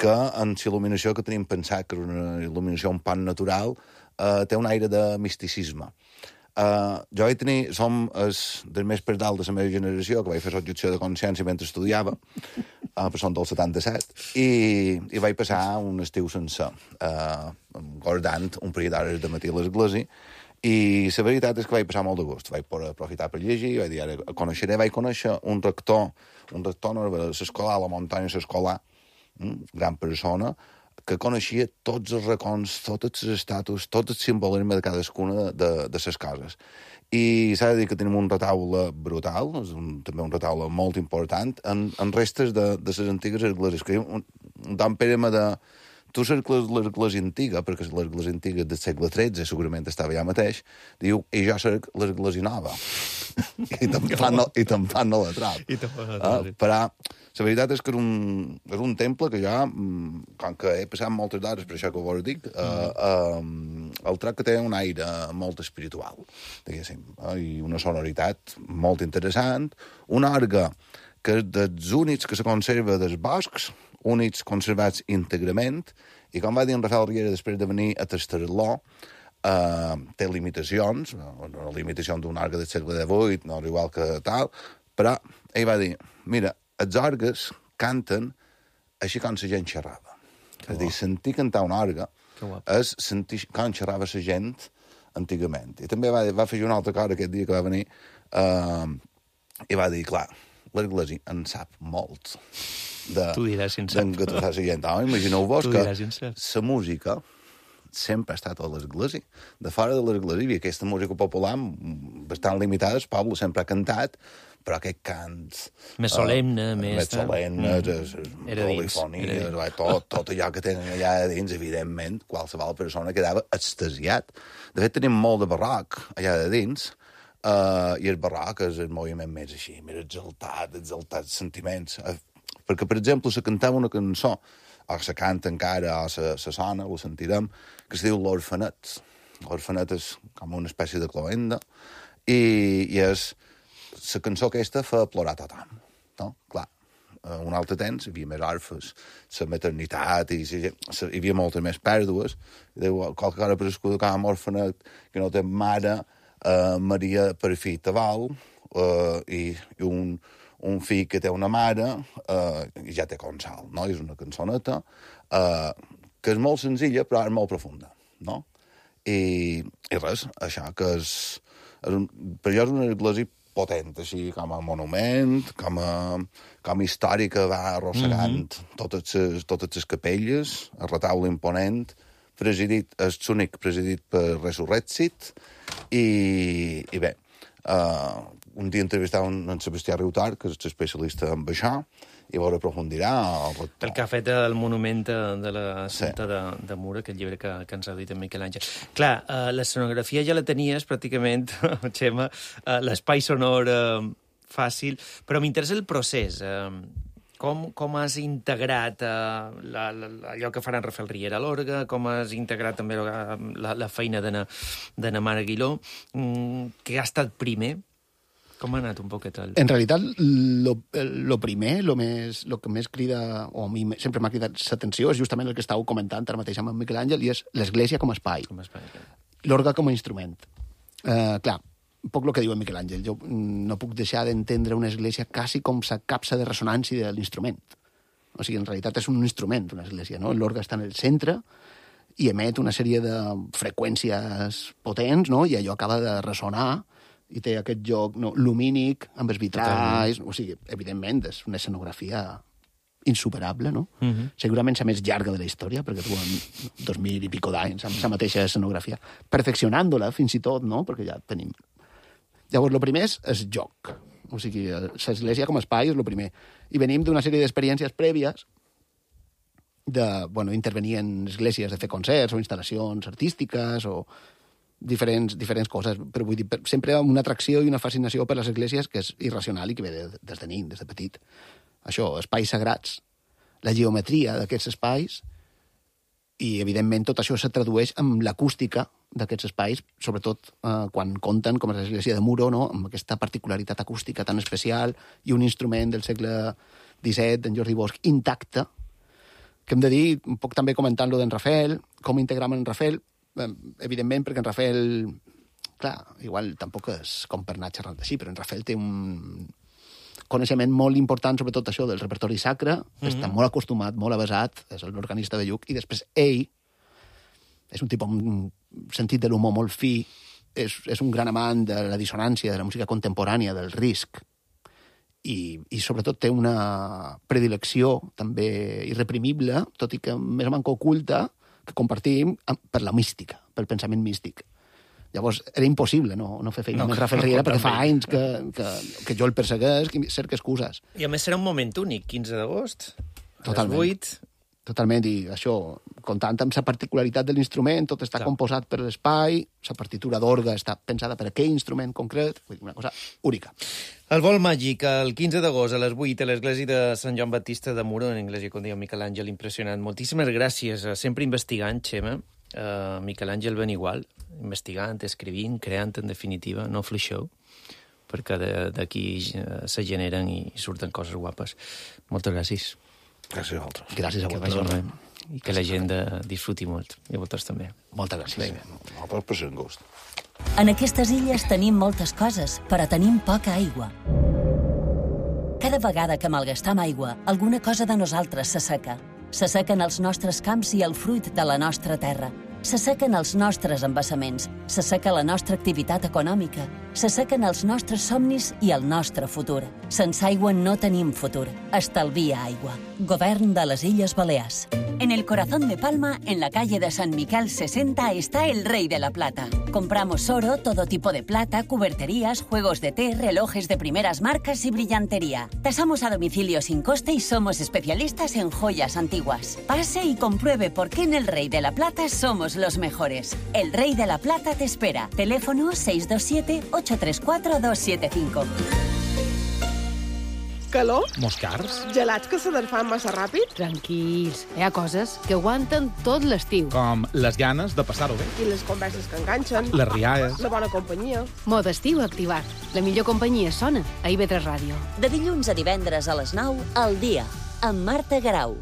que en la il·luminació que tenim pensat, que és una il·luminació un pan natural, eh, té un aire de misticisme. Uh, jo vaig tenir, som els dels més per dalt de la meva generació, que vaig fer l'objecció de consciència mentre estudiava, uh, però som del setanta-set, i, i vaig passar un estiu sencer, uh, guardant un parell d'hores de matí a l'església, i la veritat és que vaig passar molt de gust. Vaig poder aprofitar per llegir, vaig dir, ara coneixeré, vaig conèixer un rector, un rector no, de l'escolar, a la muntanya l'escolar, gran persona, que coneixia tots els racons, tots els estatus, tot el simbolisme de cadascuna de, de les coses. I s'ha de dir que tenim un retaule brutal, és un, també un retaule molt important, en, en restes de, de les antigues esglésies. Que un, un Dan Pere m'ha de... Tu saps l'església antiga, perquè l'església antiga del segle tretze segurament estava allà mateix, diu, i jo soc l'església nova. I te'n fan, i te'n fan a la trap. I te'n fan a la trap. Uh, però la veritat és que és un, és un temple que ja, com que he passat moltes d'hores, per això que vos dic, uh, uh, el trac que té un aire molt espiritual, diguéssim, uh, i una sonoritat molt interessant, un orgue que és dels únics que se conserva dels boscs, únics conservats íntegrament, i com va dir en Rafael Riera després de venir a tastar-lo, uh, té limitacions, una limitació d'un orgue del segle divuit, no igual que tal, però ell va dir, mira, els orgues canten així com la gent xerrava. És a dir, sentir cantar un orgue és sentir com xerrava la gent antigament. I també va, va fer un altre cosa aquest dia que va venir, uh, i va dir, clar, l'església en sap molt de, tu diràs si en sap. De la gent. Oh, imagineu-vos que la música sempre ha estat a l'església. De fora de l'església hi havia aquesta música popular bastant limitada, el poble sempre ha cantat, però aquest cant... Més solemne, uh, més... Més solemne, mm. era dins. Polifonia, tot, tot allò que tenen allà dins, evidentment, qualsevol persona quedava extasiat. De fet, tenim molt de barroc allà de dins, uh, i el barroc és el moviment més així, més exaltat, exaltats sentiments. Uh, perquè, per exemple, se cantava una cançó o se canta encara, o se, se sona, ho sentirem, que es diu L'Orfenet. L'Orfenet és com una espècie de cloenda, i, i és... La cançó aquesta fa plorar tothom, no? Clar, un altre temps hi havia més orfes, la maternitat, i hi havia moltes més pèrdues. Diu, qualque cosa per escoltar amb orfenet que no té mare, eh, Maria per fi tabal, eh, i, i un, un fill que té una mare, eh, i ja té consol, no? És una cançoneta eh, que és molt senzilla, però és molt profunda, no? I, i res, això que és... és un, per jo és una església potent, així com a monument, com a, com a història que va arrossegant mm-hmm. totes les totes les capelles, el retaule imponent, presidit, és l'únic presidit per Resurrexit, i, i bé, uh, un dia entrevistava en, en Sebastià Riutart, que és especialista en això, i veure aprofundirà... El, el que ha fet el monument de, de la Santa sí. de, de Mura, aquest llibre que, que ens ha dit en Miquel Àngel. Clar, eh, l'escenografia ja la tenies pràcticament, Xema, eh, l'espai sonor eh, fàcil, però m'interessa el procés. Eh, com, com has integrat eh, la, la, allò que farà en Rafael Riera a l'orgue, com has integrat també la, la, la feina de na Mare Aguiló, mm, que ha estat primer? Com ha anat un poquet el... En realitat, lo, lo primer, lo, més, lo que més crida, o a mi sempre m'ha cridat l'atenció, és justament el que estàveu comentant ara mateix amb en Miquel Àngel, i és l'església com a espai. Com a espai, clar. L'orgue com a instrument. Uh, clar, un poc el que diu en Miquel Àngel. Jo no puc deixar d'entendre una església quasi com la capsa de ressonància de l'instrument. O sigui, en realitat és un instrument, una església, no? L'orgue està en el centre i emet una sèrie de freqüències potents, no? I allò acaba de ressonar i té aquest joc no, lumínic, amb els vitralls... O sigui, evidentment, és una escenografia insuperable, no? Uh-huh. Segurament la més llarga de la història, perquè tu en dos mil i pico d'anys amb la mateixa escenografia, perfeccionant-la fins i tot, no? Perquè ja tenim... Llavors, el primer és el joc. O sigui, l'església com a espai és el primer. I venim d'una sèrie d'experiències prèvies de, bueno, intervenir en esglésies, de fer concerts o instal·lacions artístiques o... Diferents, diferents coses, però vull dir, sempre una atracció i una fascinació per les esglésies que és irracional i que ve de, des de nin, des de petit. Això, espais sagrats, la geometria d'aquests espais, i evidentment tot això se tradueix amb l'acústica d'aquests espais, sobretot eh, quan compten, com és l'església de Muro, no? Amb aquesta particularitat acústica tan especial i un instrument del segle disset, d'en Jordi Bosch, intacte, que hem de dir, un poc també comentant-lo d'en Rafael, com integram en Rafael, evidentment, perquè en Rafael, clar, igual tampoc és com per anar xerrant així, però en Rafael té un coneixement molt important sobre tot això del repertori sacre, mm-hmm. està molt acostumat, molt avesat, és l'organista de Lluc, i després ell és un tipus amb un sentit de l'humor molt fi, és, és un gran amant de la dissonància, de la música contemporània, del risc, i, i sobretot té una predilecció també irreprimible, tot i que més o manco oculta, que compartim per la mística, pel pensament místic. Llavors, era impossible no, no fer feina no, amb Rafael Riera, no, perquè fa anys que, que, que jo el persegueix, que cerca excuses. I a més serà un moment únic, quinze d'agost, a les vuit. Totalment, i això, comptant amb la particularitat de l'instrument, tot està Clar. composat per l'espai, la partitura d'orgue està pensada per aquell instrument concret, una cosa única. El vol màgic, el quinze d'agost a les vuit a l'església de Sant Joan Baptista de Muro, en l'església, com diu Miquel Àngel, impressionant. Moltíssimes gràcies, sempre investigant, Xema. Uh, Miquel Àngel ben igual, investigant, escrivint, creant, en definitiva, no fluixeu, perquè d'aquí uh, se generen i surten coses guapes. Moltes gràcies. Gràcies a vosaltres. Gràcies a vosaltres. I que la gent disfruti molt. I a vosaltres també. Moltes gràcies. Nosaltres per ser en gust. En aquestes illes tenim moltes coses, però tenim poca aigua. Cada vegada que malgastam aigua, alguna cosa de nosaltres s'asseca. S'assequen els nostres camps i el fruit de la nostra terra. S'assequen els nostres embassaments, s'asseca la nostra activitat econòmica, s'assequen els nostres somnis i el nostre futur. Sense aigua no tenim futur. Estalvia aigua. Govern de les Illes Balears. En el corazón de Palma, en la calle de San Miquel sesenta, está el Rey de la Plata. Compramos oro, todo tipo de plata, cuberterías, juegos de té, relojes de primeras marcas y brillantería. Tasamos a domicilio sin coste y somos especialistas en joyas antiguas. Pase y compruebe por qué en el Rey de la Plata somos los mejores. El Rey de la Plata te espera. Teléfono seis dos siete, ocho tres cuatro, dos siete cinco. calor, Moscars. gelats que se desfan massa ràpid Tranquils, hi ha coses que aguanten tot l'estiu. Com les ganes de passar-ho bé. i les converses que enganxen, Les riaes. la bona companyia. Mode estiu activat. La millor companyia sona a I V tres Ràdio. De dilluns a divendres a les nou, al dia, amb Marta Garau.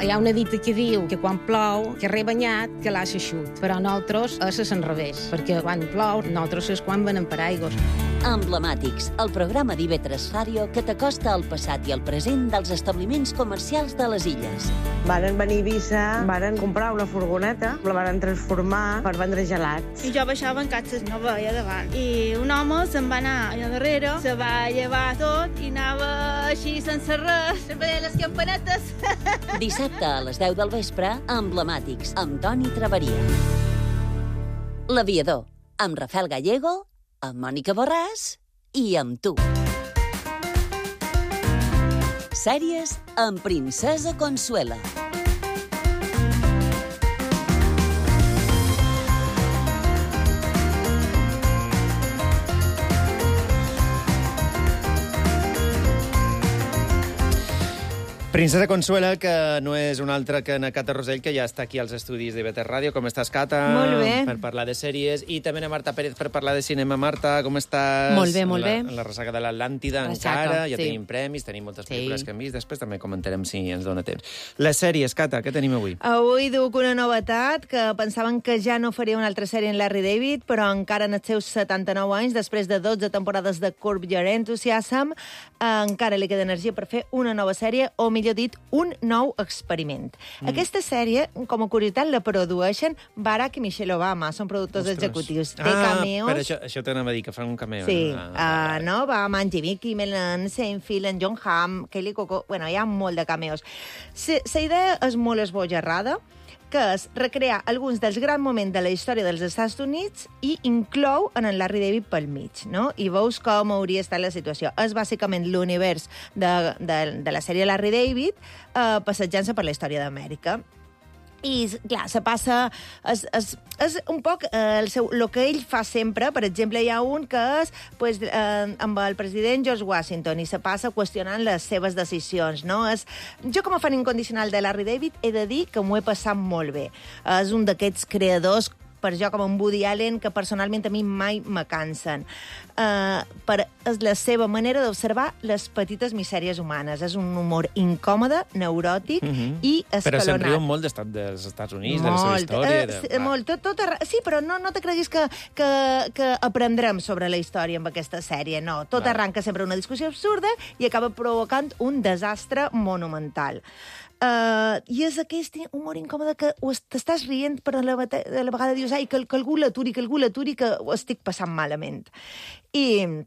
Hi ha una dita que diu que quan plou, que rebanyat, que l'ha eixut. Però nosaltres és a l'enrevés, perquè quan plou, nosaltres és quan venen paraigües. Emblemàtics, el programa d'I V tres Ràdio que t'acosta al passat i al present dels establiments comercials de les illes. Varen venir a Eivissa, varen comprar una furgoneta, la varen transformar per vendre gelats. I jo baixava en catxes, no veia davant. I un home se'n va anar allà darrere, se va llevar tot i anava així sense res, veia les campanetes. Dissabte a les deu del vespre, Emblemàtics, amb Toni Traveria. L'Aviador, amb Rafael Gallego, amb Mònica Borràs i amb tu. Sèries amb Princesa Consuela. Princesa Consuela, que no és una altra que na Cata Rosell, que ja està aquí als estudis de I V tres Ràdio. Com estàs, Cata? Molt bé. Per parlar de sèries. I també na Marta Pérez per parlar de cinema. Marta, com estàs? Molt bé, molt la, bé. En la ressaca de l'Atlàntida Ressaca, encara. Ja sí. tenim premis, tenim moltes Sí. pel·lícules que hem vist. Després també comentarem si ens dona temps. Les sèries, Cata, què tenim avui? Avui duc una novetat, que pensaven que ja no faria una altra sèrie en Larry David, però encara en els seus setanta-nou anys, després de dotze temporades de Curb Your Enthusiasm, encara li queda energia per fer una nova sèrie, o millor dit, un nou experiment. Mm. Aquesta sèrie, com a curiositat, la produeixen Barack i Michelle Obama, són productors Ostres. executius. Té ah, cameos. per això, això t'anava a dir, que fan un cameo. Sí, no? Ah, uh, no? Va amb en Jimmy Kimmel, en Seinfeld, en John Hamm, Kelly Coco... Bueno, hi ha molt de cameos. La idea és molt esbojarrada, que és recrear alguns dels grans moments de la història dels Estats Units i inclou en el Larry David pel mig, no? I veus com hauria estat la situació. És bàsicament l'univers de, de, de la sèrie Larry David eh, passejant-se per la història d'Amèrica. I, clar, se passa... És, és, és un poc eh, el, seu, el que ell fa sempre. Per exemple, hi ha un que és pues, eh, amb el president George Washington i se passa qüestionant les seves decisions, no? És, jo, com a fan incondicional de Larry David, he de dir que m'ho he passat molt bé. És un d'aquests creadors, per jo, com en Woody Allen, que personalment a mi mai me cansen. Uh, per, és la seva manera d'observar les petites misèries humanes. És un humor incòmode, neuròtic mm -hmm. i escalonat. Però se'n riuen molt d'estat dels Estats Units, molt, de la seva història. De... Uh, molt, tot, tot arre... Sí, però no, no te creguis que, que, que aprendrem sobre la història amb aquesta sèrie, no. Tot Va. arranca sempre una discussió absurda i acaba provocant un desastre monumental. Uh, I és aquest humor incòmode que t'estàs rient, però a la, a la vegada dius ai, que, que algú l'aturi, que algú l'aturi, que ho estic passant malament. I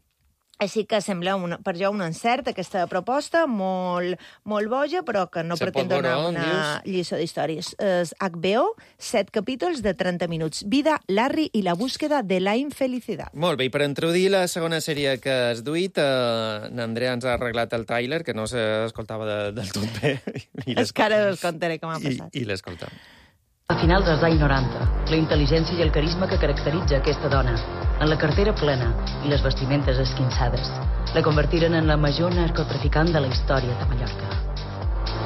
així que sembla una, per jo un encert, aquesta proposta, molt, molt boja, però que no Se pretén pot donar veure, una dius? lliçó d'històries. És H B O, set capítols de trenta minuts. Vida, Larry i la búsqueda de la infelicidad. Molt bé, i per introduir la segona sèrie que has duit, eh, n'Andrea ens ha arreglat el tràiler, que no s'escoltava de, del tot bé. I És que ara us contaré com ha passat. I, i l'escoltam. A finals dels anys noranta, la intel·ligència i el carisma que caracteritza aquesta dona, en la cartera plena i les vestimentes esquinçades, la convertiren en la major narcotraficant de la història de Mallorca.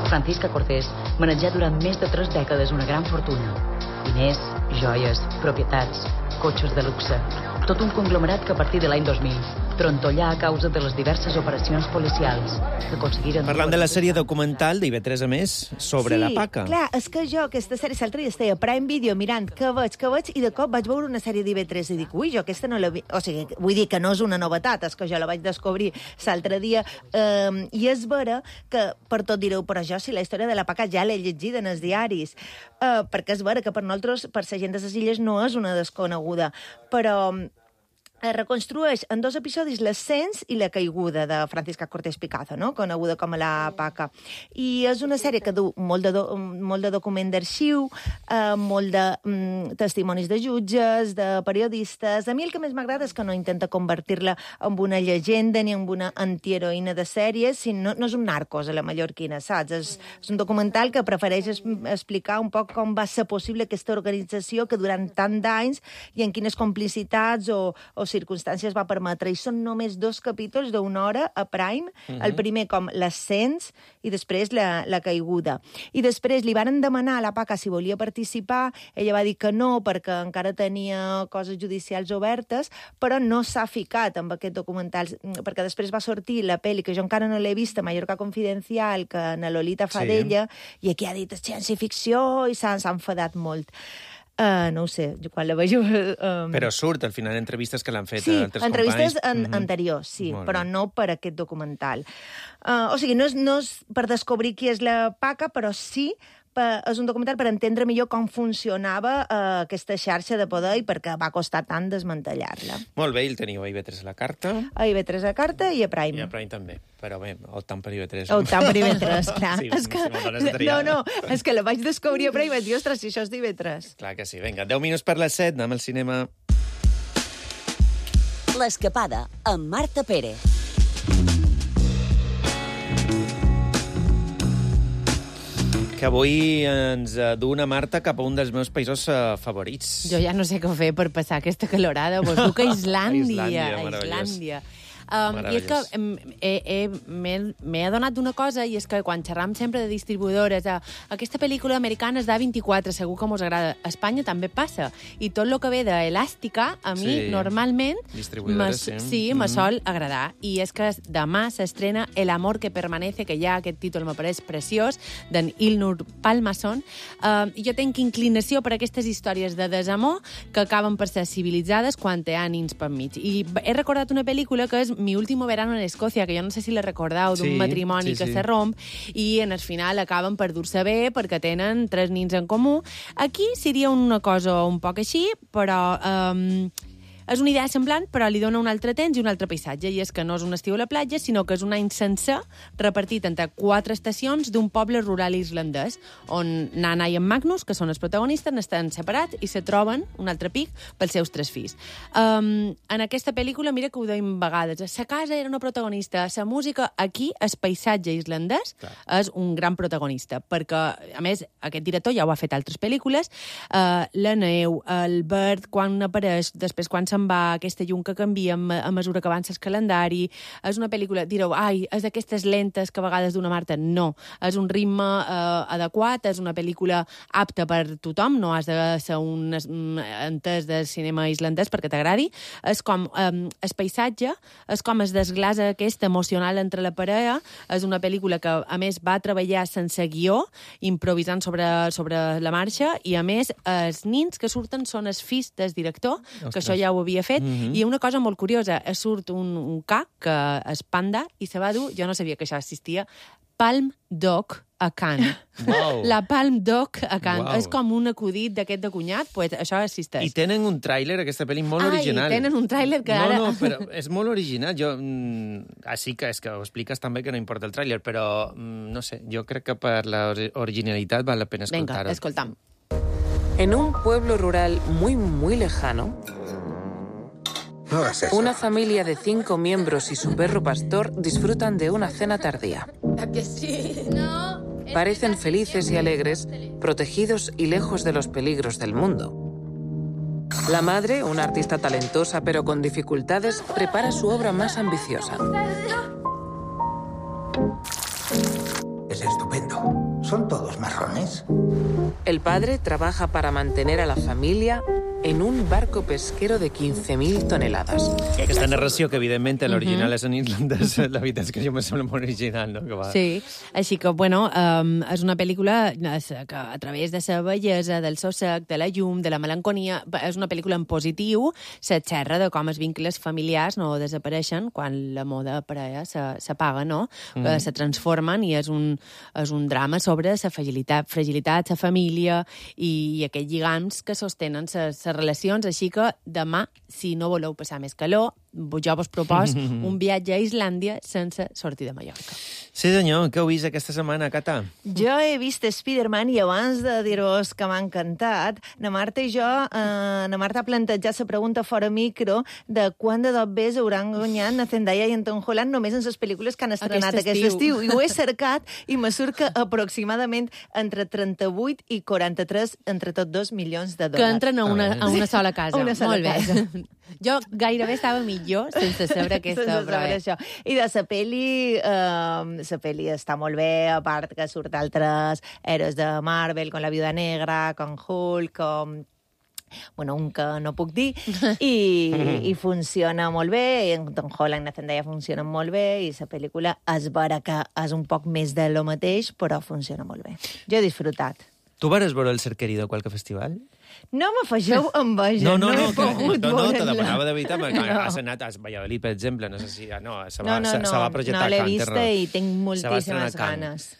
Francisca Cortés manejà durant més de tres dècades una gran fortuna. Diners, joies, propietats, cotxes de luxe, tot un conglomerat que a partir de l'any dos mil trontollà a causa de les diverses operacions policials que aconseguiren... Parlant de la sèrie documental d'I V tres, a més, sobre sí, la Paca. clar, és que jo aquesta sèrie l'altre dia estava a Prime Video mirant què veig, què veig, i de cop vaig veure una sèrie d'I V tres i dic, ui, jo aquesta no la vi... O sigui, vull dir que no és una novetat, és que jo la vaig descobrir l'altre dia, eh, i és vera que, per tot direu, però jo si la història de la Paca ja l'he llegida en els diaris, eh, perquè és vera que per nosaltres, per la gent de les illes, no és una desconeguda, però... es reconstrueix en dos episodis l'ascens i la caiguda de Francisca Cortés Picazo, no? Coneguda com a la Paca. I és una sèrie que du molt de, do, molt de document d'arxiu, eh, molt de mm, testimonis de jutges, de periodistes. A mi el que més m'agrada és que no intenta convertir-la en una llegenda ni en una antiheroïna de sèries, sinó, no és un narcos a la mallorquina, saps? És, és un documental que prefereix es, explicar un poc com va ser possible aquesta organització que durant tant d'anys i en quines complicitats o, o circumstàncies va permetre, i són només dos capítols d'una hora a Prime, Mhm. el primer com l'ascens i després la, la caiguda. I després li varen demanar a la Paca si volia participar, ella va dir que no, perquè encara tenia coses judicials obertes, però no s'ha ficat amb aquest documental, perquè després va sortir la pel·li, que jo encara no l'he vista, Mallorca Confidencial, que na Lolita fa Sí. d'ella, i aquí ha dit ciència-ficció i s'ha enfadat molt. Uh, no ho sé, jo quan la veig... Um... Però surt, al final, entrevistes que l'han fet Sí, a altres entrevistes companys. en, Mhm. anteriors, sí, Molt però bé. no per aquest documental. Uh, o sigui, no és, no és per descobrir qui és la Paca, però sí per, és un documental per entendre millor com funcionava uh, aquesta xarxa de poder i per què va costar tant desmantellar-la. Molt bé, el teniu a I V tres a la carta. A I V tres a carta i a Prime. I a Prime també, però bé, optant per I V tres. Optant per I V tres, clar. Sí, és que, si me'n dones de triar. no, no, és que la vaig descobrir a Prime i vaig dir, ostres, si això és d'I V tres. Clar que sí. Vinga, deu minuts per les set, anem al cinema. L'escapada, amb Marta Pérez. Que avui ens eh, du una Marta cap a un dels meus països eh, favorits. Jo ja no sé què fer per passar aquesta calorada. Vos duc a Islàndia. Islàndia, a meravellós. Islàndia. Um, I és que em, he, he, m'he m'he adonat d'una cosa, i és que quan xerram sempre de distribuïdores, eh, aquesta pel·lícula americana és d'A vint-i-quatre, segur que mos agrada. A Espanya també passa. I tot el que ve d'Elàstica, a mi, Sí. normalment, Distribuïdores, me- sí. sí, me Mhm. sol agradar. I és que demà s'estrena El amor que permanece, que ja aquest títol m'apareix preciós, d'en Ilnur Palmason. Uh, I jo tenc inclinació per aquestes històries de desamor que acaben per ser civilitzades quan té ànims per mig. I he recordat una pel·lícula que és Mi último verano en Escòcia, que jo no sé si la recordeu, d'un Sí, matrimoni sí, que sí. se romp, i en el final acaben per dur-se bé perquè tenen tres nins en comú. Aquí seria una cosa un poc així, però... Um, és una idea semblant, però li dona un altre temps i un altre paisatge, i és que no és un estiu a la platja, sinó que és un any sencer repartit entre quatre estacions d'un poble rural irlandès, on Nana i en Magnus, que són els protagonistes, estan separats i se troben un altre pic pels seus tres fills. Um, en aquesta pel·lícula, mira que ho deim vegades, sa casa era una protagonista, la música, aquí, el paisatge islandès, Clar. és un gran protagonista, perquè, a més, aquest director ja ho ha fet altres pel·lícules, uh, la neu, el verd, quan apareix, després quan se'n va, aquesta llum que canvia a mesura que avança el calendari. És una pel·lícula, direu, ai, és d'aquestes lentes que a vegades d'una Marta. No, és un ritme eh, adequat, és una pel·lícula apta per tothom, no has de ser un entès del cinema islandès perquè t'agradi. És com eh, el paisatge, és com es desglasa aquest emocional entre la parella. És una pel·lícula que, a més, va treballar sense guió, improvisant sobre, sobre la marxa, i, a més, els nins que surten són els fills del director, Ostres. que això ja ho havia fet, Mhm. i una cosa molt curiosa, surt un, un ca, que és panda, i se va dur, jo no sabia que això existia, Palm Dog a Cannes. Wow. La Palm Dog a Cannes. Wow. És com un acudit d'aquest de cunyat, pues això existeix. I tenen un tràiler, aquesta pel·li, molt Ai, original. tenen un tràiler que no, ara... No, però és molt original. Jo, mm, així que és que ho expliques també que no importa el tràiler, però, mm, no sé, jo crec que per la ori- originalitat val la pena escoltar-ho. Vinga, escoltam. En un pueblo rural muy, muy lejano, No hagas eso. una familia de cinco miembros y su perro pastor disfrutan de una cena tardía. ¿A que sí? No. Parecen felices y alegres, protegidos y lejos de los peligros del mundo. La madre, una artista talentosa pero con dificultades, prepara su obra más ambiciosa. Es estupendo. ¿Son todos marrones? El padre trabaja para mantener a la familia en un barco pesquero de quinze mil toneladas. Aquesta narració, que evidentment l'original Mhm. és en irlandès, la veritat és que jo me sembla molt original, no? Que va... Sí, així que, bueno, um, és una pel·lícula que a través de la bellesa, del so sec, de la llum, de la melanconia, és una pel·lícula en positiu, se xerra de com els vincles familiars no desapareixen quan l'amor de parella s'apaga, no? Mm. Mm. Se transformen, i és un, és un drama sobre la fragilitat, fragilitat, la família i, i aquests lligams que sostenen les relacions. Així que demà, si no voleu passar més calor, jo vos propos un viatge a Islàndia sense sortir de Mallorca. Sí, senyor, què heu vist aquesta setmana, Cata? Jo he vist Spider-Man i abans de dir-vos que m'ha encantat, na Marta i jo, eh, na Marta ha plantejat la pregunta fora micro de quan de dos bes hauran guanyat na Zendaya i en Tom Holland només en les pel·lícules que han estrenat Aquest aquest estiu. estiu. I ho he cercat i me surt que aproximadament entre trenta-vuit i quaranta-tres, entre tots dos milions de Que dòlars. entren a una, a una sola casa. A una sola Molt bé. casa. Jo gairebé estava millor sense saber aquesta, sense però saber eh. això. I de la pel·li, eh, la pel·li està molt bé, a part que surt altres héroes de Marvel, com la Viuda Negra, com Hulk, com... bueno, un que no puc dir, i, i funciona molt bé, i en Tom Holland i Zendaya funcionen molt bé, i la pel·lícula és vera que és un poc més de lo mateix, però funciona molt bé. Jo he disfrutat. Tu vas veure el Ser Querido a qualque festival? No m'afegeu enveja, no, no, no, no he pogut no, no, veure-la. te demanava de veritat, perquè No. has anat a Valladolid, per exemple, no sé si... No, se No, va, no, se, no, se va projectar no l'he a Cannes, vista no. i tinc Se va moltíssimes estrenar a Cannes. ganes.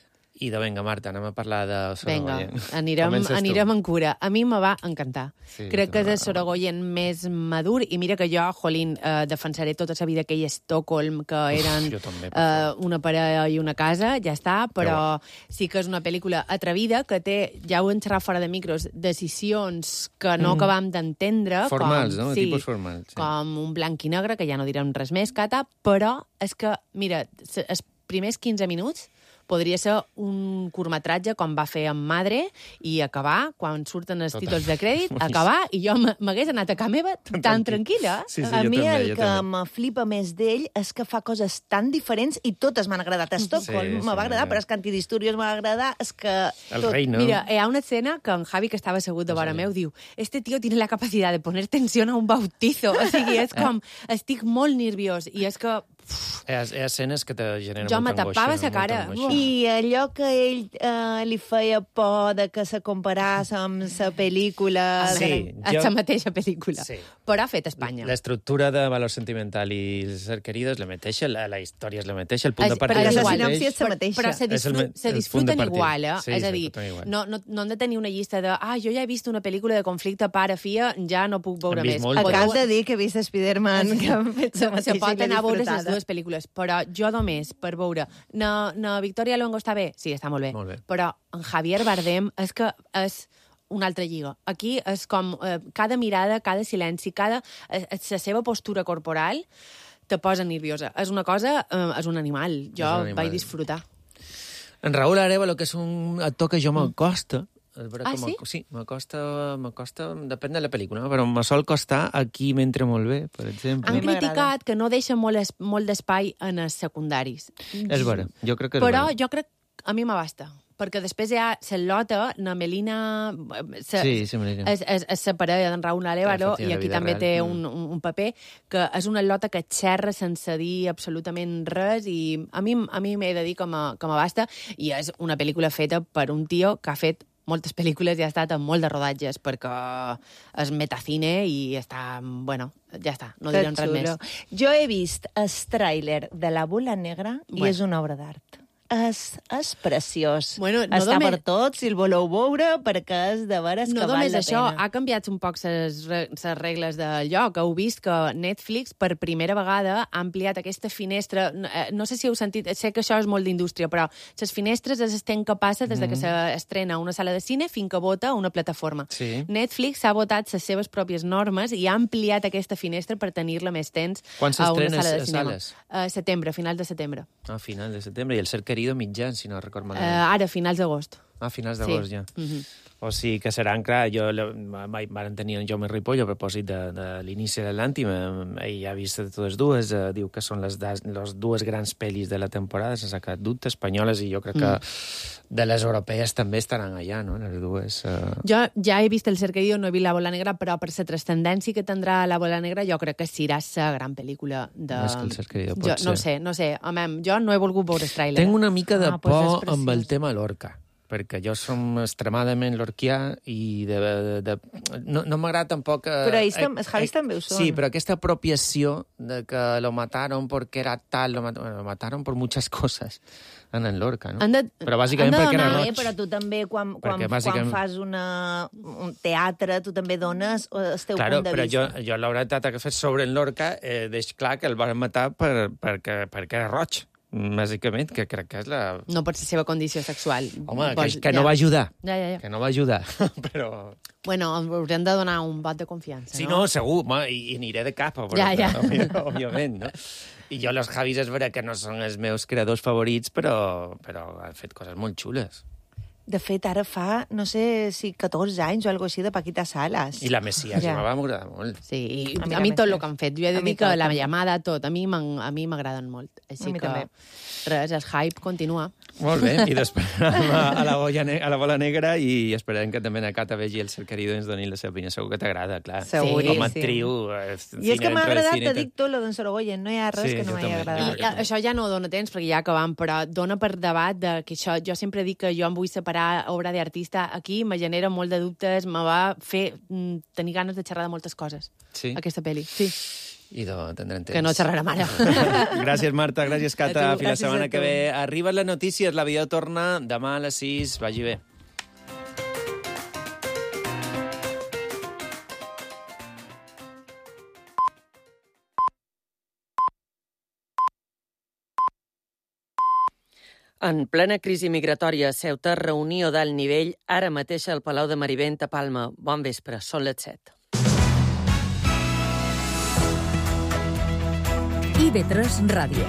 I de, vinga, Marta, anem a parlar de Sorogoyen. Vinga, anirem, anirem en cura. A mi me va encantar. Sí, Crec que és va. el Sorogoyen més madur, i mira que jo, jolín, eh, defensaré tota la vida aquell Estocolm, que eren jo també, per eh, una parella i una casa, ja està, però sí que és una pel·lícula atrevida, que té, ja ho hem xerrat fora de micros, decisions que no Mm. acabam d'entendre. Formals, com, no? Sí, Tipus formals. Sí. com un blanc i negre, que ja no direm res més, Cata, però és que, mira, s- els primers quinze minuts podria ser un curtmetratge com va fer amb Madre i acabar, quan surten els Total. títols de crèdit, acabar, i jo m- m'hagués anat a casa meva tan tranquil·la. Sí, sí, a mi també, el que me flipa més d'ell és que fa coses tan diferents i totes m'han agradat. Estocolm Sí, me va sí, agradar, sí. però és que Antidisturbios m'ha agradar, és que... El tot... rei, no? Mira, hi ha una escena que en Javi, que estava assegut de vora meu, diu este tío tiene la capacidad de poner tensión a un bautizo. O sigui, és com, estic molt nerviós, i és que Hi ha, hi ha escenes que te generen Jo molta me tapava angoixa, sa cara. molta angoixa. I allò que ell eh, li feia por de que se comparàs amb la pel·lícula... Sí, a jo- la mateixa pel·lícula. Sí. Però ha fet a Espanya. L'estructura de valor sentimental i el Ser Querido és la mateixa, la, la història és la mateixa, el punt de És- partida però és és el igual. mateix. és la mateixa. Però se, És el disfru me- se el punt de disfruten partida. igual, eh? Sí, és a se dir, disfruten igual. no, no, no hem de tenir una llista de ah, jo ja he vist una pel·lícula de conflicte pare-filla, ja no puc veure Hem vist més. moltes. Acabes de dir que he vist Spider-Man, que han fet la Se mateixa pot i l'he anar a veure les disfrutada. dues pel·lícules, però jo només per veure... Na, na Victoria Luengo està bé? Sí, està molt bé. Molt bé. Però en Javier Bardem és que és una altra lliga. Aquí és com eh, cada mirada, cada silenci, cada... Eh, la seva postura corporal te posa nerviosa. És una cosa... Eh, és un animal. Jo És un animal. vaig disfrutar. En Raúl Arevalo, que és un actor que jo m'acosta, és vera Ah, que sí? m'ac- sí, m'acosta, m'acosta, depèn de la pel·lícula, no? Però me sol costar Aquí m'entra molt bé, per exemple. Han criticat que no deixa molt, es, molt d'espai en els secundaris. És vera, jo crec que és Però vera. jo crec a mi m'abasta, perquè després hi ha Cel·lota, na Melina... Se, Sí, sí, Melina. És, és, és la parella d'en Raúl Arevalo, Que i la aquí vida també real. té Mm. un, un, un paper que és una lota que xerra sense dir absolutament res, i a mi, a mi m'he de dir que m'a- que m'abasta, i és una pel·lícula feta per un tio que ha fet moltes pel·lícules i ha estat en molt de rodatges, perquè és metacine i està... Bueno, ja està, no Que direm res xulo. més. Jo he vist el tràiler de La Bola Negra i Bueno. és una obra d'art. És, és preciós. Bueno, no Està només- per tots, si el voleu veure, perquè és de veres No que val només la això, pena. ha canviat un poc les regles del lloc. Heu vist que Netflix, per primera vegada, ha ampliat aquesta finestra. No, eh, no sé si heu sentit, sé que això és molt d'indústria, però les finestres es estan que passa des de que Mhm. s'estrena a una sala de cine fins que vota a una plataforma. Sí. Netflix ha votat les seves pròpies normes i ha ampliat aquesta finestra per tenir-la més temps Quan a una s'estrena sala de a cinema. sales? A setembre, final de setembre. A final de setembre, i el Ser Querido mitjan, si no record Uh, malament. ara, finals d'agost. A finals Sí. d'agost, ja. Mhm. O sigui que seran, clar, jo van tenir en Jaume Ripoll a propòsit de, de l'inici de l'Àntima, ell ha vist totes dues, eh, diu que són les, des, les dues grans pel·lis de la temporada, sense cap dubte, espanyoles, i jo crec que de les europees també estaran allà, no?, les dues. Eh... Jo ja he vist El Ser Querido, no he vist La Bola Negra, però per la transcendència que tindrà La Bola Negra jo crec que serà la gran pel·lícula de... Més que El Ser Querido, pot jo, no ho ser. sé, no ho sé. Home, jo no he volgut veure el tràiler. Tenc una mica de Ah, pues és por amb el preciós. tema Lorca, perquè jo som extremadament lorquià i de, de, de, no, no m'agrada tampoc... Eh, Però ells tam- els Javis també ho són. Sí, però aquesta apropiació de que lo mataron porque era tal, lo, mat bueno, lo mataron por muchas cosas en el Lorca, no? Han de- però bàsicament han de perquè era donar, roig. eh, però tu també, quan, quan, Perquè quan bàsicament- fas una, un teatre, tu també dones eh, el teu Claro, punt de però jo, vista. jo la veritat que fer sobre en Lorca eh, deix clar que el van matar per, perquè, perquè era roig, bàsicament, que crec que és la... No per la seva condició sexual. Home, que, Vols- que no va ajudar. Ja, ja, ja. Que no va ajudar, però... Bueno, haurem de donar un vot de confiança, Sí, no? no, segur, home, i, i aniré de capa, però, Ja, ja. Però, òbviament, no? I jo, los Javis, és vera que no són els meus creadors favorits, però, però han fet coses molt xules. De fet, ara fa, no sé si catorze anys o alguna cosa així de Paquita Salas. I la Mesías, ja. va m'agradar molt. Sí, i A mi a mi la tot el Mesías. que han fet. Jo he de A mi dir que tot, la també. llamada, tot, a mi m'han- a mi m'agraden molt. Així A mi que, també. res, el hype continua. Molt bé, i després a, a, la boia ne a la bola negra i esperem que també na Cata vegi el Cerquerido i ens doni la seva opinió. Segur que t'agrada, clar. Seguríssim. Com a actriu... Eh, I és que m'ha agradat, cine, te dic tot, lo d'en Sorogoyen. No hi ha res Sí, que no jo m'hagi també, agradat. I a- això ja no dona temps, perquè ja acabam, però dona per debat de que això... Jo sempre dic que jo em vull separar obra d'artista. Aquí me genera molt de dubtes, me va fer mm, tenir ganes de xerrar de moltes coses. Sí? Aquesta pel·li. Sí. Idò, tindrem temps. Que no xerrarem ara. Gràcies, Marta, gràcies, Cata. A tu, Fins la gràcies setmana a que tu. ve. Arriben les notícies, la vida torna demà a les sis. Vagi bé. En plena crisi migratòria, Ceuta, reunió d'alt nivell, ara mateix al Palau de Marivent a Palma. Bon vespre, són les set. I V tres Ràdio.